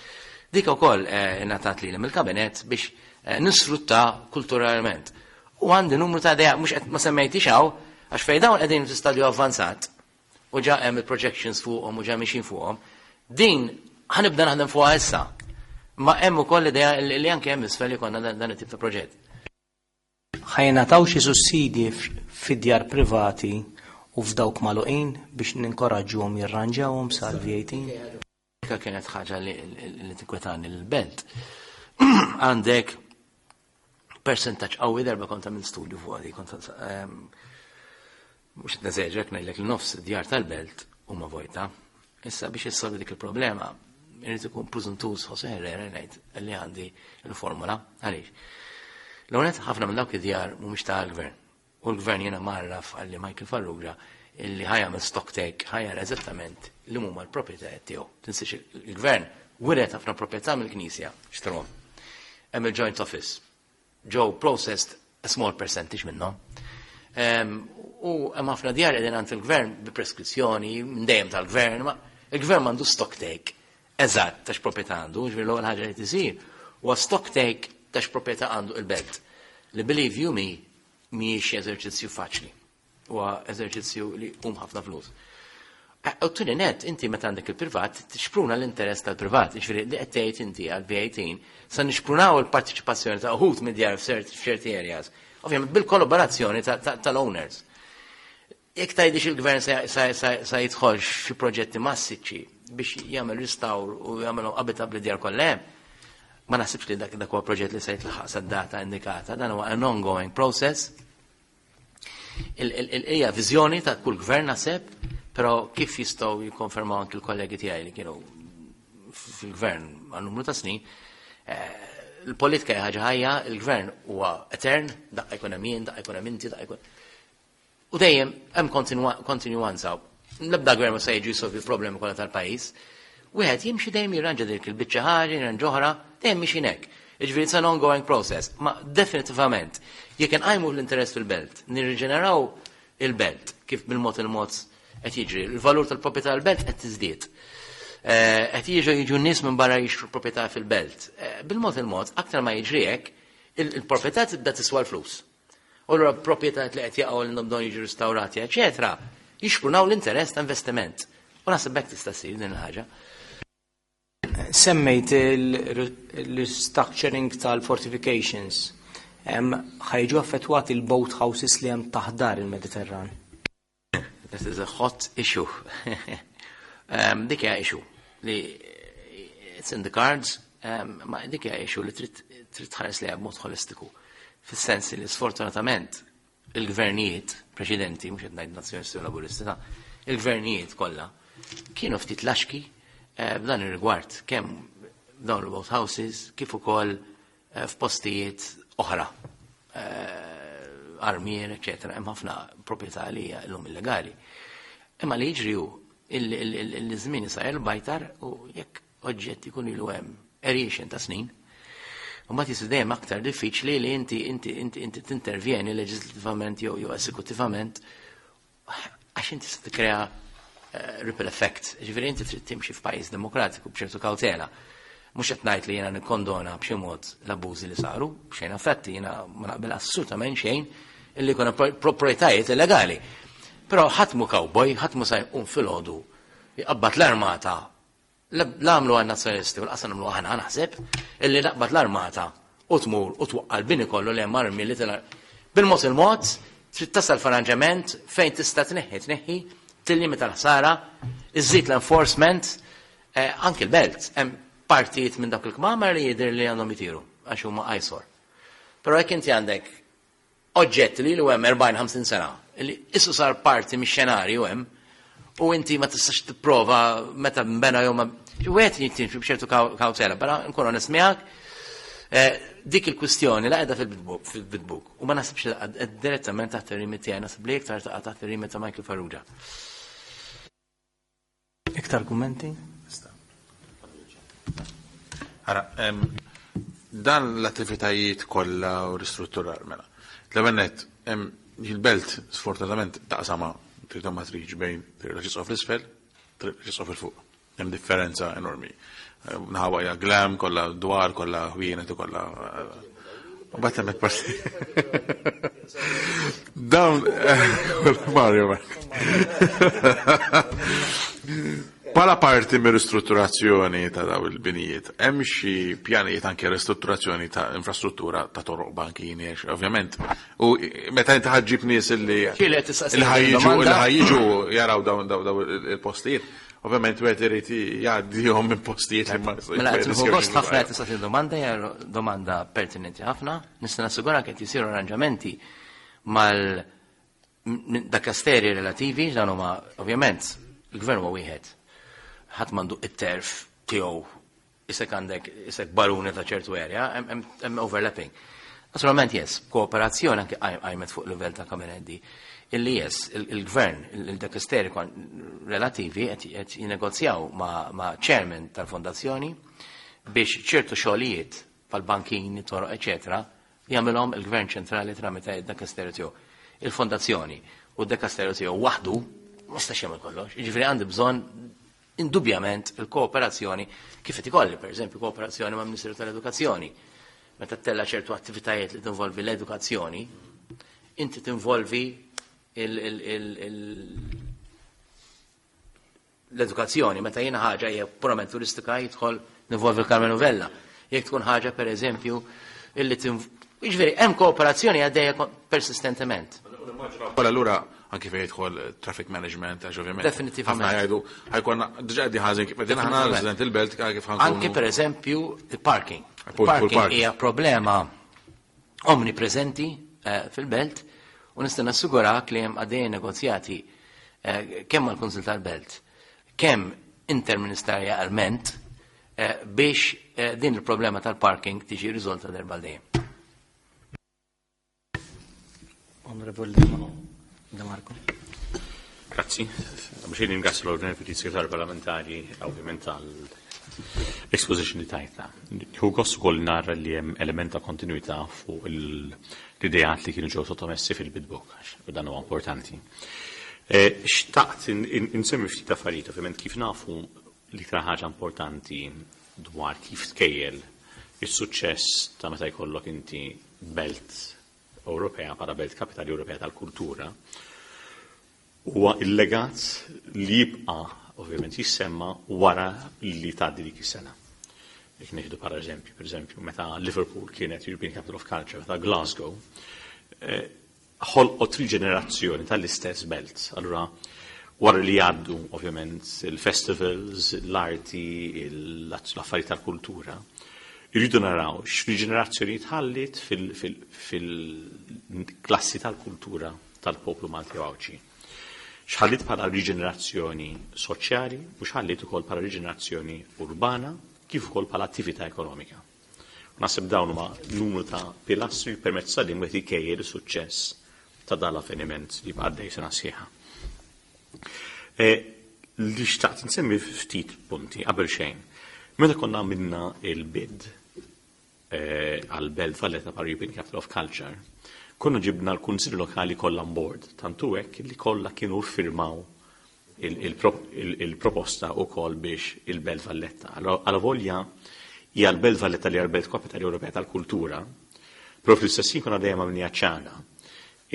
B: Dik ukoll ingħatat lili mill-kabinet biex nisfrutta kulturalment. U għandi numru ta' idea, mhux qed ma semmejtix hawn, għax fejn dawn qegħdin fi stadju avvanzat u ġa hemm il-projections fuqhom u ġa mixin fuqhom, din ħa nibda naħdem fuqha issa. Ma hemm ukoll idea li anke hemm isfel jkollna dan it-tip ta' proġett.
A: Ħa jingħataw xi sussidji fid-djar privati u f'dawk magħluqin biex ninkoraġġuhom jirranġawhom sal-V18?
B: Dik kienet ħaġa li tinkwetani l-belt. Għandek percentaġġ qawwi darba kont għamilt studju fuq għadi, kont mhux qed neżeġek ngħidlek li nofs djar tal-belt huma vojta. Issa biex issolvi dik il-problema, irid ikun preżuntuż Jose Herrera ngħid li għandi l-formula. Għaliex? L-għonet ħafna minn dawk id-djar mhumiex tal-gvern. U l-gvern jiena marraf għalli Michael Farrugia illi ħa jagħmel stock take ħa jara eżattament li huma l-proprjetajiet tiegħu. Tinsiex il-gvern wiret ħafna proprjetà mill-Knisja xtrom. Hemm il-joint office. Ġew processed a small percentage minnhom. U hemm ħafna djar qegħdin għand il-gvern bi preskrizzjoni minn dejjem tal-gvern, ma il-gvern m'għandu stock take eżatt ta' x'proprjetà għandu, ġifieri l-ewwel ħaġa li tisir huwa stock take ta' x'proprjetà għandu il-belt. Li believe you me mhijiex eżerċizzju faċli. Huwa eżerċizzju li hum ħafna flus. U t net, inti meta għandek il-privat, tixpruna l-interess tal-privat, ġifieri li qed tgħid inti għal V18, sa nixprunaw il-partiċipazzjoni ta' uħud mid-djar f'ċerti areas. Ovvjament bil-kollaborazzjoni tal-owners. Jekk tgħidix il-gvern sa jidħolx fi proġetti massiċċi biex jagħmel restawr u jagħmel abitabli djar kollha hemm, ma naħsibx li dak huwa proġett li se jitlaħaq sad-data indikata, dan huwa an ongoing process. Hija viżjoni ta' kull gvern naħseb, però kif jistgħu jikkonfermaw anki l-kollegi tiegħi li kienu fil-gvern għal numru ta' snin, il-politika hija ħaġa ħajja, il-gvern huwa etern, daqqa jkun hemm jien, daqqa jkun hemm inti, daqqa jkun. U dejjem hemm kontinwanza. L-ebda gvern ma se jiġi jsolvi l-problemi kollha tal-pajjiż. Wieħed jimxi dejjem jirranġa dik il-biċċa ħaġa, jirranġa oħra, dejjem mixin hekk. Jiġifieri it's an ongoing process. Ma definitivament, jekk inqajmu l-interess fil-belt, nirriġeneraw il-belt kif bil-mod il-mod qed jiġri, il-valur tal-proprjetà tal-belt qed tiżdied. Eh, qed jiġu jiġu nies minn barra jixtru proprjetà fil-belt. Eh, bil-mod il-mod, aktar ma jiġri hekk, il-proprjetà tibda tiswa l-flus. U allura proprjetajiet li qed jaqgħu li bżonn jiġu ristawrati, eċetera, jixprunaw l-interess ta' investiment. U naħseb hekk tista' ssir din il-ħaġa.
A: Semmejt il-restructuring tal-fortifications. Ħa jiġu affettwati l-boat houses li hemm taħt dar il-Mediterran?
B: This is a hot issue. Dik hija issue li it's in the cards, ma dik hija issue li trid tħares lejha b'mod holistiku. Fis-sens li sfortunatament il-gvernijiet preċedenti, mhux qed ngħid Nazzjonisti u Laburisti, ta' il-gvernijiet kollha kienu ftit laxki eh, f'dan ir-rigward kemm dawn il-boat houses kif ukoll eh, f'postijiet oħra eh, armier, eċetera, hemm ħafna proprjetà li hija llum illegali. Imma li jiġri hu il-żmien isajjar bajtar u jekk oġġett ikun ilu hemm għeriexen ta' snin, u mbagħad jisir dejjem aktar diffiċli li inti inti inti inti tintervjeni leġislattivament jew jew esekuttivament għax inti se tikkrea eh, ripple effect. Ġifieri inti trid timxi f'pajjiż demokratiku b'ċertu kawtela. Mhux qed ngħid li jiena nikkondona b'xi mod l-abbużi li saru, b'xejn affetti jiena ma naqbel assolutament xejn illi jkun proprjetajiet illegali. Però ħadd mu cowboy, ħadd mu sa jqum filgħodu jqabbad l-armata La għamlu għan nazzjonalisti u l-qasa nagħmlu aħna naħseb illi naqbad l-armata u tmur u twaqqa l-bini kollu li hemm armi li tilha. Bil-mod il-mod trid tasal f'arranġament fejn tista' tneħħi tneħħi, tillimita l-ħsara, iżżid l-enforcement, eh, anki l-belt hemm partijiet minn dak il-kmamar li jidher li għandhom jitiru għax huma eyesore. Però jekk inti għandek oġġett li ilu hemm 40-50 sena, li issu sar parti mix-xenarju hemm, u inti ma tistax tipprova meta nbena jew ma. Wieħed jittimxi b'ċertu kawtela, però nkun onest miegħek, eh, dik il-kwistjoni la qiegħda fil-bidbuk u ma nasibx li direttament taħt ir-rimit tiegħi, nasib li iktar taqa' taħt ir-rimit ta' Michael Farrugia.
A: Iktar kummenti?
C: Ara, dan l-attivitajiet kollha u ristrutturar mela. L-ewwel nett, il-belt sfortunatament taqsama trid ma tridx bejn triq l-Arċisqof l-isfel, triq l-Arċisqof il fuq. Hemm differenza enormi. Naħa hija glam, kollha dwar, kollha ħwienet u kollha U bat hemmhekk parti. Dawn Mario. Pala parti mir ristrutturazzjoni ta' daw il-binijiet, hemm xi pjanijiet anke ristrutturazzjoni ta' infrastruttura ta' toroq bankini, ovvjament. U meta inti ħaġġib nies illi ħajġu jaraw dawn daw il-postijiet, Ovvjament wieħed irid jgħaddihom minn postijiet li ma
B: Mela qed nieħu gost ħafna qed tistaqsi domanda hija domanda pertinenti ħafna. Nista' nassigurak qed jisiru arranġamenti mal dakasteri relativi dan huma ovvjament il-gvern huwa wieħed. Ħadd m'għandu it-terf tiegħu Isek għandek, isek baruni ta' ċertu area, hemm overlapping. Naturalment, yes, kooperazzjoni anke qajmet fuq livell ta' kabinetti, illi yes, il-gvern, il-dekasteri relativi qed jinnegozjaw ma' chairman tal-fondazzjoni biex ċertu xogħlijiet pal-bankini, toroq, eċetera, jagħmilhom il-gvern ċentrali tramite id-dekasteru tiegħu. Il-fondazzjoni u d-dekasteru tiegħu waħdu ma jistax jagħmel kollox. Jiġifieri għandi bżonn Indubjament il-kooperazzjoni kif qed ikolli, pereżempju, kooperazzjoni mal-Ministeru tal-Edukazzjoni. Meta ttella' ċertu attivitajiet li tinvolvi l-edukazzjoni, inti tinvolvi l-edukazzjoni. Meta jiena ħaġa hija purament turistika jidħol nivolvi l-Karmenu Vella. Jekk tkun ħaġa pereżempju illi Jiġifieri hemm kooperazzjoni għaddejja persistentement.
C: Wara allura anki fejn jidħol traffic management, għax ovvjament.
B: Definitivament.
C: Ħafna jgħidu ħajkonna diġà qegħdin ħażin kif qegħdin aħna resident il-belt kif ħankunu.
B: Anki pereżempju il-parking. Parking hija problema omnipreżenti eh, fil-belt u nista' nassigurak li hemm għaddejjin negozjati eh, kemm mal-Kunsil tal-Belt, kemm interministerjalment eh, biex eh, din il-problema tal-parking tiġi riżolta darba dejjem.
A: Onorevoli De Marco.
D: Grazzi. Biex ringrazzju l-Onorevoli Segretarju Parlamentari ovvjament għal exposition li tajtna. Hu gost ukoll nara li hemm element ta' kontinuità fuq l-ideat li kienu ġew sottomessi fil-bid book, għax dan huwa importanti. Xtaqt insemmi ftit affarijiet, ovvjament kif nafu l-iktar ħaġa importanti dwar kif tkejjel is-suċċess ta' meta jkollok inti belt Ewropea bħala belt kapitali Ewropea tal-kultura huwa il-legat li jibqa' ovvjament jissemma wara li tgħaddi dik is-sena. Jekk nieħdu bħala eżempju, pereżempju, meta Liverpool kienet European Capital of Culture, meta Glasgow, ħolqot riġenerazzjoni tal-istess belt. Allura, wara li jgħaddu ovvjament il-festivals, l-arti, l-affarijiet tal-kultura, irridu naraw x'riġenerazzjoni tħallit fil-klassi tal-kultura tal-poplu Malti u Għawdxi. X'ħallit bħala riġenerazzjoni soċjali u x'ħallit ukoll bħala riġenerazzjoni urbana kif ukoll bħala attività ekonomika. Naħseb dawn huma numru ta' pilastri permezz ta' din wieħed ikejjel is-suċċess ta' dan l-avveniment li jibqa' għaddej sena sħiħa. Li xtaqt nsemmi ftit punti qabel xejn. Meta konna għamilna il-bid għal Belt Valletta bħala European Capital of Culture, konna ġibna l-Kunsilli Lokali kollha on board, tantu hekk li kollha kienu ffirmaw il-proposta wkoll biex il-Belt Valletta. Alavolja hija l-Belt Valletta li hija l-Belt Kapitali Ewropea tal-Kultura, però fl-istess ħin konna dejjem għamilniha ċara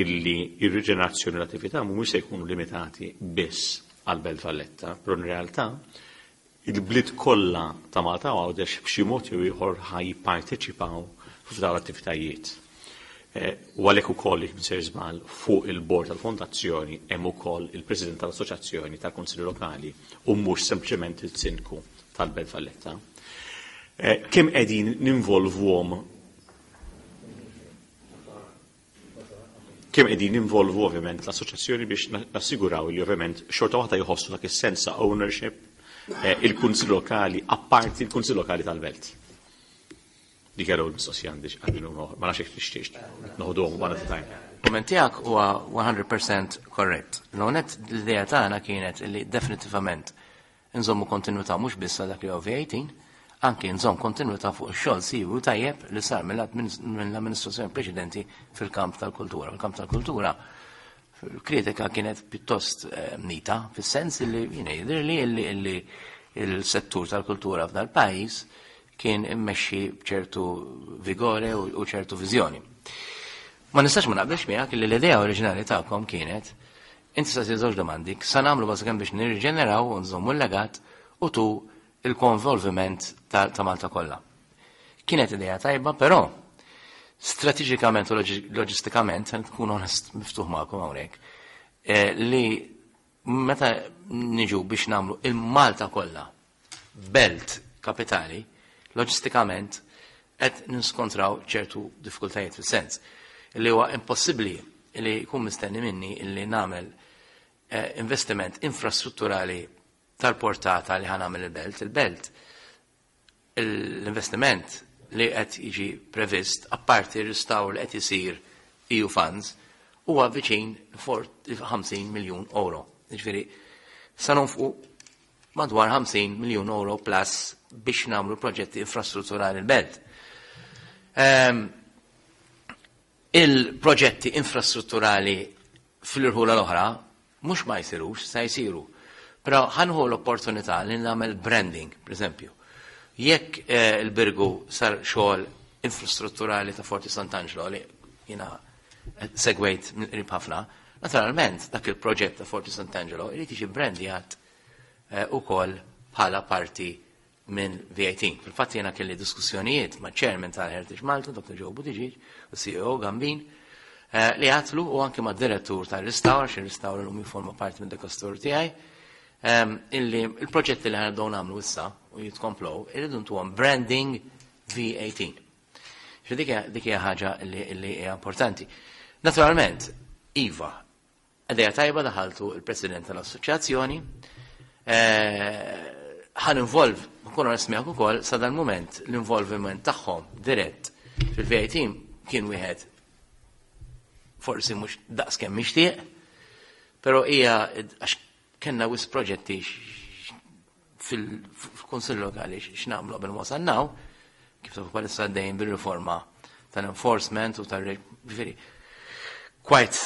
D: illi ir-riġenerazzjoni u l-attività mhumiex se jkunu limitati biss għal-Belt Valletta, però in realtà il-bliet kollha ta' Malta u Għawdex b'xi mod jew ieħor ħa jipparteċipaw f'dawn l-attivitajiet. U għalhekk ukoll jekk m'insejr żball fuq il-bord tal-fondazzjoni hemm ukoll il-President tal-Assoċjazzjoni tal-Kunsilli Lokali u mhux sempliċement il-Sindku tal-Belt Valletta. Kemm qegħdin ninvolvuhom kemm qegħdin ninvolvu ovvjament l-assoċjazzjoni biex nassiguraw li ovvjament xorta waħda jħossu dak is-sens ta' ownership il-Kunsill Lokali apparti il-Kunsill Lokali tal-Belt. Dik għal mistoqsija għandi għandi ma nafx jekk tixtieq noħduhom one at a time.
B: Kumment tiegħek huwa 100% korrett. L-onet l-idea tagħna kienet li definitivament nżommu kontinuità mhux biss dak li huwa V18, anki nżomm kontinuità fuq ix-xogħol siwi tajjeb li sar mill-amministrazzjoni preċedenti fil-kamp tal-kultura. Fil-kamp tal-kultura kritika kienet pjuttost nita, fis-sens li jiena jidhirli li il-settur tal-kultura f'dal pajjiż kien immexxi b'ċertu vigore u ċertu viżjoni. Ma nistax ma naqbilx miegħek li l-idea oriġinali tagħkom kienet inti sa żewġ domandi, sa nagħmlu bażikament biex nirriġeneraw u nżommu l-legat u tu il-konvolviment ta' Malta kollha. Kienet idea tajba, però strateġikament u loġistikament, se nkun onest miftuħ magħkom hawnhekk, li meta niġu biex nagħmlu il-Malta kollha belt kapitali, loġistikament qed niskontraw ċertu diffikultajiet fis-sens li huwa impossibbli li jkun mistenni minni li nagħmel investiment infrastrutturali tal-portata li ħa nagħmel il-belt. Il-belt, l-investiment li qed jiġi previst, apparti r-restawr li qed isir EU funds, huwa viċin 50 miljun euro. Jiġifieri, sa nonfqu madwar 50 miljun euro plus biex nagħmlu proġetti infrastrutturali l-belt. Il-proġetti infrastrutturali fl-irħula l-oħra mhux ma jsirux, sa jsiru. Però ħa nieħu l-opportunità li nagħmel branding, per eżempju. Jekk il-Birgu sar xogħol infrastrutturali ta' Forti Sant'Angelo li jiena segwejt mill-qrib ħafna, naturalment dak il-proġett ta' Forti Sant'Angelo irid jiġi brandjat ukoll bħala parti minn V18. Fil-fatt jiena kelli diskussjonijiet ma' chairman tal-Heritage Malta, Dr. Joe Buttigieg, u CEO Gambin, li għatlu u anke ma' direttur tal-restawr, xi restawr l-lum jiforma parti minn dekastur tiegħi, illi il-proġetti li ħa nibdew nagħmlu issa u jitkomplow, irridu ntuhom branding V18. Xi dik hija ħaġa li hija importanti. Naturalment, Iva, idea tajba daħaltu il-President tal-Assoċjazzjoni, ħa ninvolv, nkun onest miegħek ukoll, sa dal-mument l-involviment tagħhom dirett fil-V18 kien wieħed forsi mhux daqs kemm mixtieq, però hija għax kellna wisq proġetti. fil-Kunsill Lokali x'nagħmlu qabel ma wasalnaw, kif tafu bħalissa għaddejjin bir-riforma tal-enforcement u tal-ġifieri. Quite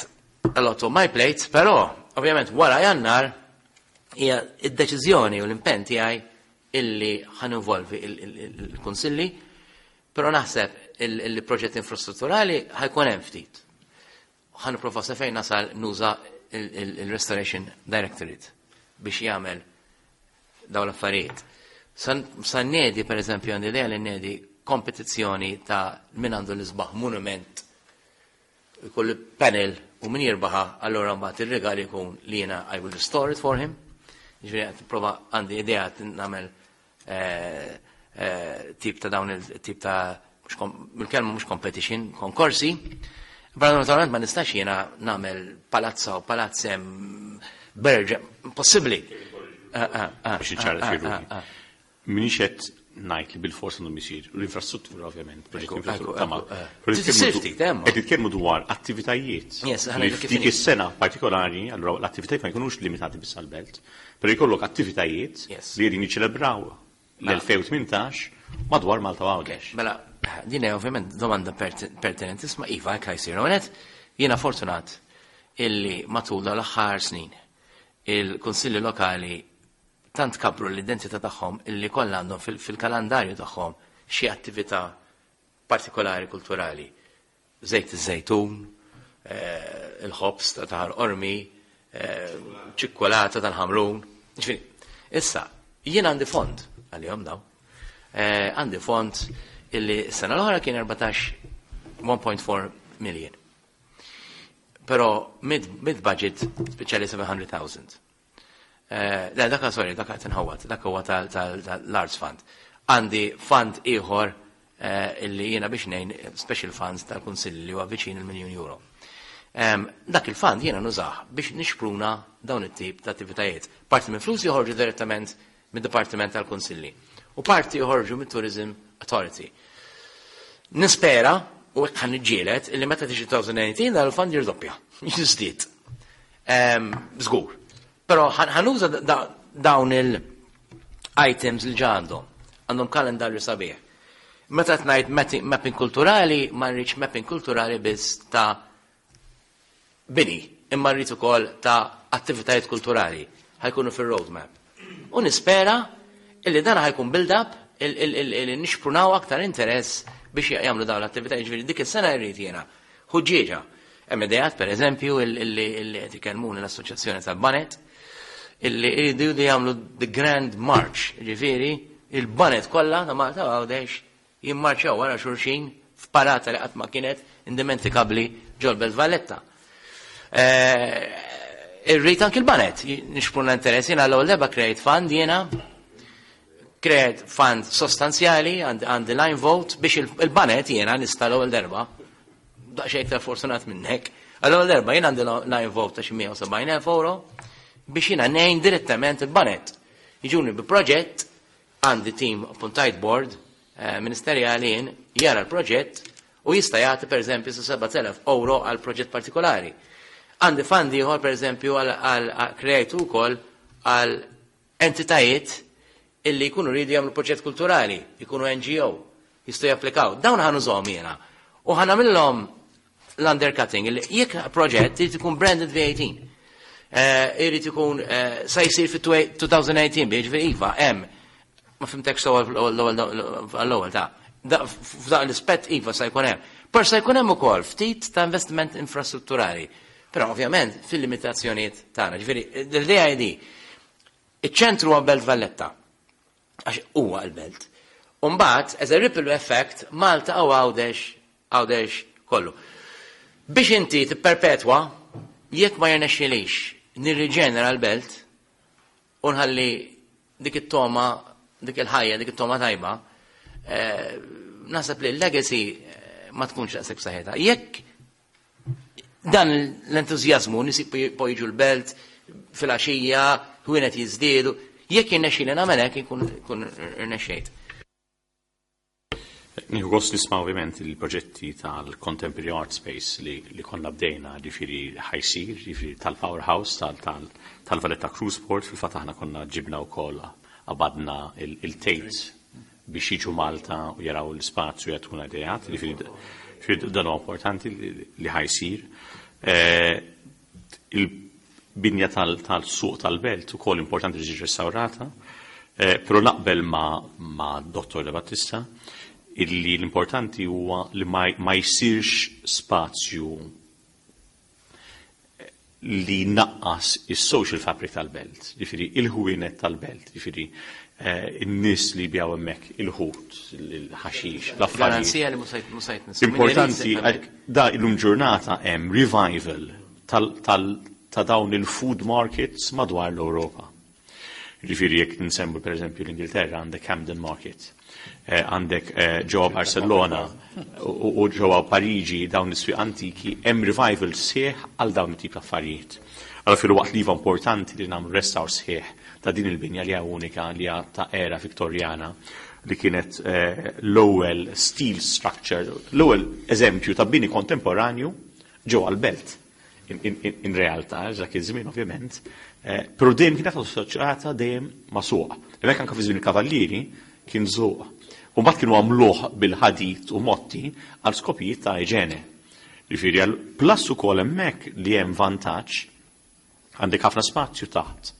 B: a lot on my plate, però ovvjament wara Jannar hija id-deċiżjoni u l-impenn tiegħi illi ħa ninvolvi il-kunsilli, però naħseb il-proġett infrastrutturali ħa jkun hemm ftit. Ħa nipprova sa fejn nasal nuża il-Restoration Directorate biex jagħmel dawn l-affarijiet. Sa nnedi, per eżempju, għandi idea li nnedi kompetizzjoni ta' min għandu l-isbaħ monument, ikollu panel u min jirbaħa, allora mbagħad ir-rigal ikun li jiena I will restore it for him. Ġifieri qed nipprova, għandi idea nagħmel tip ta' dawn il-tip ta' il-kelma mhux competition, konkorsi. Però naturalment ma nistax jiena nagħmel palazza u palazz hemm berġa, impossibbli.
D: Biex iċċara xi ruħi. M'iniex qed ngħid li bilfors għandhom isir l-infrastruttura ovvjament, proġett infrastruttura ma. Qed nitkellmu dwar attivitajiet. Li f'dik is-sena partikolari, allura l-attivitajiet ma jkunux limitati biss għall-belt, però jkollok attivitajiet li qegħdin jiċċelebraw l-2018 madwar Malta u Għawdex.
B: Mela, din hija ovvjament domanda pertinentisma, iva, hekk ħa jsir. Għonet, jiena fortunat illi matul dawn l-aħħar snin il-kunsilli lokali tant kabru l-identità tagħhom illi kollha għandhom fil-kalendarju tagħhom xi attività partikolari kulturali. Żejt iż-żejtun, il-ħobż ta' Ħal Qormi, ċikkulata tal-Ħamrun. Ġifieri, issa, jien għandi fond għalihom daw. Għandi fond illi s-sena l-oħra kien 14 1.4 million. Però mid-budget speċjali 700,000. Le, dak sorry, dak qed inħawwad, dak huwa tal-Arts Fund. Għandi fund ieħor illi jiena biex ngħin special funds tal-Kunsill li huwa viċin il-miljun euro. Dak il-fund jiena nużah biex nixpruna dawn it-tip ta' attivitajiet. Parti minn flus joħorġu direttament mid-Dipartiment tal-Kunsilli u parti joħorġu mit-Tourism Authority. Nispera u hekk ħa niġġieled illi meta tiġi 2018 dan il-fund jirdoppja, jiżdied. Żgur. Però ħa nuża dawn il-items li ġa għandhom. Għandhom kalendarju sabiħ. Meta ngħid mapping kulturali, ma rridx mapping kulturali biss ta' bini, imma rrid ukoll ta' attivitajiet kulturali ħa jkunu fir-roadmap. U nispera illi dan ħa jkun build-up illi nixprunaw aktar interess biex jagħmlu dawn l-attivitajiet. Ġifieri dik is-sena rrid jiena ħuġġieġa. Hemm ideat, per eżempju, illi qed ikellmuni l-Assoċjazzjoni tal-Baned, illi jridu jagħmlu the Grand March, ġifieri il-baned kollha ta' Malta Għawdex jimmarċjaw wara xulxin f'parata li qatt ma kienet indimentikabbli ġol-Belt Valletta. Irrid anki l-baned nixpruna interess, jiena l-ewwel darba create fund jiena, create fund sostanzjali għandi line vote biex il-baned jiena nista' l-ewwel darba, daqsxejn iktar fortunat minnek, għall-ewwel darba jien għandi line vote ta' xi 170,000 euro biex jiena ngħin direttament il-baned. Jiġuni bi proġett, għandi team appuntajt board ministerjali jien jara l-proġett u jista' jagħti pereżempju sa 7,000 euro għal proġett partikolari. Għandi fund ieħor pereżempju għal kreajtu wkoll għal entitajiet illi jkunu rridu jagħmlu proġett kulturali, jkunu NGO, jistgħu japplikaw. Dawn ħa nużahom jiena. U ħa nagħmilhom l-undercutting, illi jekk proġett irid ikun branded V18. Irid ikun sa jsir fit-2018, jiġifieri iva, hemm. Ma fimtekx sew għall-ewwel ta' f'daq l-ispett iva sa jkun hemm. Però sa jkun hemm ukoll ftit ta' investiment infrastrutturali. Però ovvjament fil-limitazzjonijiet tagħna. Ġifieri l-idea hi di. Iċ-ċentru huwa Belt Valletta, għax huwa l-belt. U mbagħad, as a ripple effect, Malta u Għawdex, Għawdex kollu. Biex inti tipperpetwa, jekk ma jirnexxilix nirriġenera l-belt u nħalli dik it-toma, dik il-ħajja, dik it-toma tajba, naħseb li l-legacy ma tkunx daqshekk b'saħħitha. Jekk dan l-entużjażmu nies jiġu l-belt fil-għaxija, ħwienet jiżdiedu, jekk jirnexxieli nagħmel hekk inkun irnexxejt.
D: Nieħu gost nisma' ovvjament il-proġetti tal-Contemporary Art Space li konna bdejna, ġifieri ħa jsir, ġifieri tal-Powerhouse, tal-Valletta Cruise Port, fil-fatt aħna konna ġibna wkoll. Qabadna il-Tate biex jiġu Malta u jaraw l-ispazju jagħtuna ideat, jiġifieri dan huwa importanti li ħa jsir. Il-binja tal-suq tal-belt ukoll importanti li tiġi restawrata, però naqbel ma' Dottor De Battista illi l-importanti huwa li ma jsirx spazju li naqqas is-social fabric tal-belt, jiġifieri il-ħwienet tal-belt, jiġifieri in-nies li jbigħu hemmhekk il-ħut, il-ħaxix, l-affarijiet.
B: Garanzija li mhux se jitnissu.
D: Importanti, da illum ġurnata hemm revival ta' dawn il-food markets madwar l-Ewropa. Jiġifieri jekk nsemmu pereżempju l-Ingilterra għandek Camden Market, għandek ġewwa Barcellona u ġewwa Pariġi dawn is-swieq antiki hemm revival sħiħ għal dawn it-tip ta' affarijiet. Allora filwaqt li iva importanti li nagħmlu restawr sħiħ ta' din il-binja li hija unika li hija ta' era Viktorjana li kienet l-ewwel steel structure, l-ewwel eżempju ta' bini kontemporanju ġewwa l-belt. In realtà, dak iż-żmien ovvjament, però dejjem kienet assoċjata dejjem ma' suq. Hemmhekk anke fi żmien il-Kavallieri kien suq. U mbagħad kienu għamluh bil-ħadid u motti għal skopijiet ta' iġene. Ġifieri għal plus ukoll hemmhekk li hemm vantaġġ għandek ħafna spazju taħt.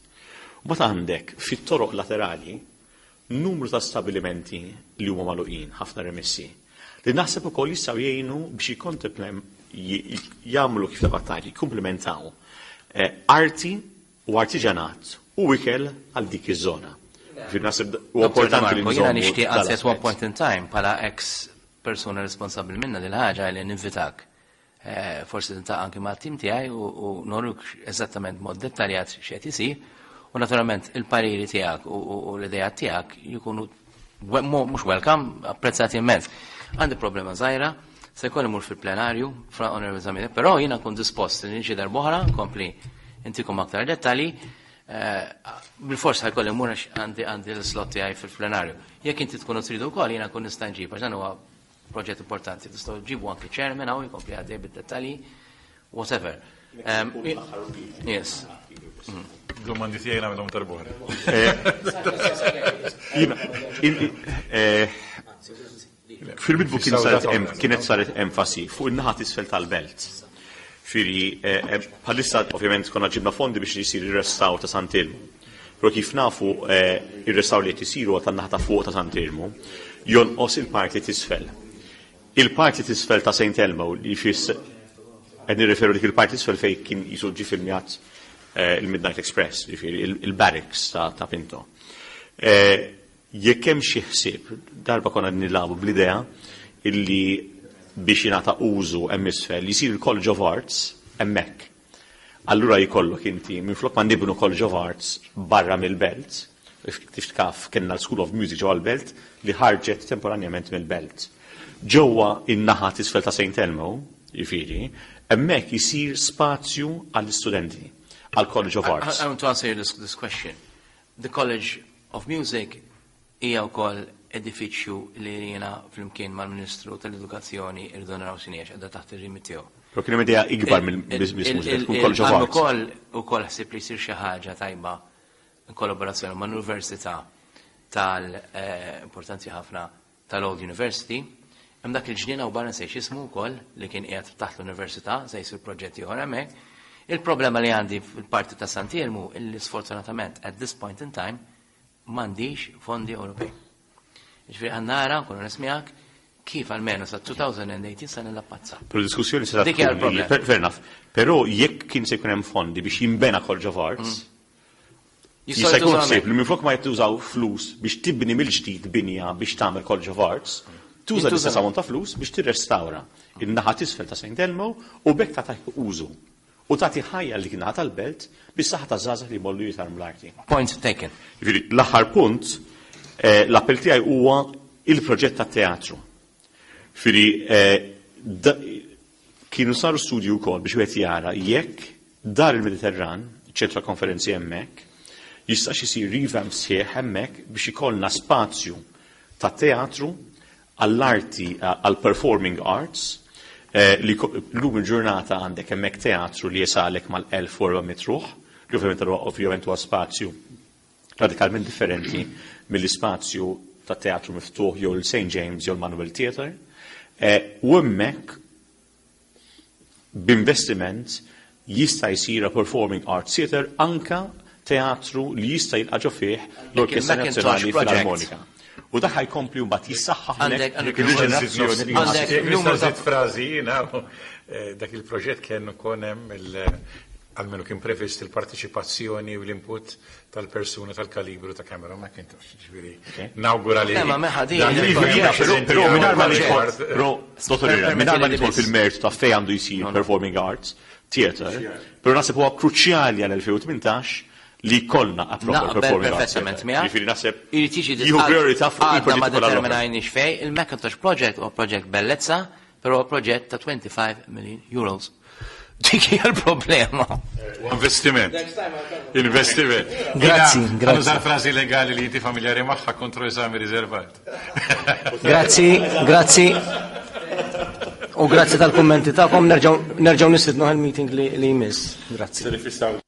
D: U mbagħad għandek fit-toroq laterali numru ta' stabilimenti li huma magħluqin, ħafna remessi, li naħseb ukoll jistgħu jgħinu biex jagħmlu kif taqbad tgħid, jikkumplimentaw arti u artiġanat u ikel għal dik iż-żona. Ġifieri naħseb huwa importanti li
B: Jiena
D: nżommu
B: nixtieq anzi at one
D: dal-aspett.
B: point in time bħala ex persuna responsabbli minna dil ħaġa li ninvitak. Forsi tintaqa' anki mat-tim tiegħi u noruk eżattament mod dettaljat x'qed isir u naturalment il-pariri tiegħek u l-idea tiegħek jkunu mhux welcome, apprezzati immens. Għandi problema żgħira, se jkolli mur fil-plenarju, fra Honorable Zammit, però jiena nkun dispost li niġi darb'oħra, nkompli intikom aktar dettalji. Bil-fors ħajkolli mmur għax għandi l-slot tiegħi fil-plenarju. Jekk inti tkunu tridu wkoll jiena nkun nista' nġib, għax dan huwa proġett importanti. Tistgħu ġibu anki chairman hawn jkompli għaddej bid-dettalji, whatever. Yes.
C: Domandi tiegħi nagħmilhom darb'oħra.
D: Fil-bidu kienet saret enfasi fuq in-naħa t'isfel tal-belt. Firri, bħalissa ovvjament konna ġibna fondi biex jisir ir-restawr ta' Sant'Elmu. Però kif nafu ir-restawr li qed isiru tan-naħa ta' fuq ta' Sant'Elmu jonqos il-parti t'isfel. Il-parti t'isfel ta' Saint Elmo li fis qed nirreferu dik il-parti t'isfel fejn kien jisu ġi filmjat il-Midnight Express, ġifieri il-barracks ta' Pinto. Jekk hemm xi ħsieb, darba konna nilagħbu bl-idea illi biex jingħata użu hemm isfel jisir il-College of Arts hemmhekk. Allura jkollok inti minflok ma nibnu College of Arts barra mill-belt, tiftakar kellna l-School of Music ġewwa l-belt li ħarġet temporanjament mill-belt. Ġewwa in-naħa t'isfel ta' St. Elmo, jiġifieri, hemmhekk jisir spazju għall-istudenti, għall-College of Arts.
B: I want to answer this question. The College of Music hija wkoll edifiċju li jiena flimkien mal-Ministru tal-Edukazzjoni irridu naraw x'inhi għax qiegħda taħt ir-remit tiegħu.
D: Però kien hemm idea ikbar mill-business mużika, tkun College of Arts.
B: Ukoll ħsieb li jsir xi ħaġa tajba in kollaborazzjoni ma' l-Università tal-importanti ħafna tal-Old University. Hemm dak il-ġnien hawn barra nsejx ismu wkoll li kien qiegħed taħt l-università se jsir proġetti oħra hemmhekk. Il-problema li għandi fil-parti ta' Sant'Elmu illi sfortunatament at this point in time m'għandix fondi Ewropej. Ġifieri ħa nara, nkunu nismijak, kif almenu sa 2018 sa nilla-pazza.
D: Però diskussjoni se
B: Dik hija
D: tkun
B: l-problema.
D: fair enough. Però jekk kien se jkun hemm fondi biex jinbena College of Arts,
B: Jistgħu
D: jista' jkun
B: jtużaw
D: ħsieb li minflok ma jtużaw flus biex tibni mill-ġdid binja biex tagħmel College of Arts, tuża
B: Jintużaw.
D: l-istess ammont ta' flus biex tirrestawra in-naħa t'isfel ta' St. Elmo u b'hekk tagħti użu. U tagħti ħajja li kien tal-belt bis-saħħa ta' żgħażagħ li jmorru jitgħallmu l-arti.
B: Point taken.
D: Jiġifieri, l-aħħar punt, l-appell tiegħi huwa il-proġett tat-teatru. Jiġifieri, kienu saru studju wkoll biex wieħed jara jekk dar il-Mediterran, ċentru ta' konferenzi hemmhekk, jistax isir revamp sħiħ hemmhekk biex ikollna spazju ta' teatru għall-arti, għall-performing arts, li llum il-ġurnata għandek hemmhekk teatru li jesalek mal-1400 ruħ, li ovvjament huwa spazju radikalment differenti mill-ispazju ta' teatru miftuħ jew il-St. James jew l-Manuel Theatre. Eh, u hemmhekk b'investiment jista' jsir a performing arts theatre anka teatru li jista' jilqa' ġo fih l-Orkestra Nazzjonali Filarmonika. U dak ħajkompli mbagħad jissaħħaħ
C: il-riġenerazzjoni. Għandek żid frażi jiena eh, dak il-proġett kien ukoll hemm almenu kien previst il-partiċipazzjoni u l-input tal-persuna tal-kalibru ta' Cameron McIntosh. Ġifieri, nawgura li.
B: Ma meħa din.
D: Però mingħajr ma nidħol, però dottor mingħajr ma nidħol fil-mertu ta' fejn għandu jsir performing arts theatre, però naħseb huwa kruċjali għal 2018 li jkollna a proper performing arts.
B: Perfettament miegħek.
D: Ġifieri naħseb
B: Irid jiġi
D: jieħu priorità fuq
B: għadna ma
D: il-proġetti kollha l-oħra.
B: determinajniex fej, il-Macintosh Project huwa proġett bellezza, però huwa proġett ta' 25 million euros. Dik hija l-problema.
C: Investiment. Investiment.
A: Grazzi, grazzi.
C: Għandu frażi legali li inti familjari magħha kontro eżami riservat.
A: Grazzi, grazzi. U grazzi tal-kummenti tagħkom nerġgħu nerġgħu nistidnu għal meeting li li jmiss. Grazzi.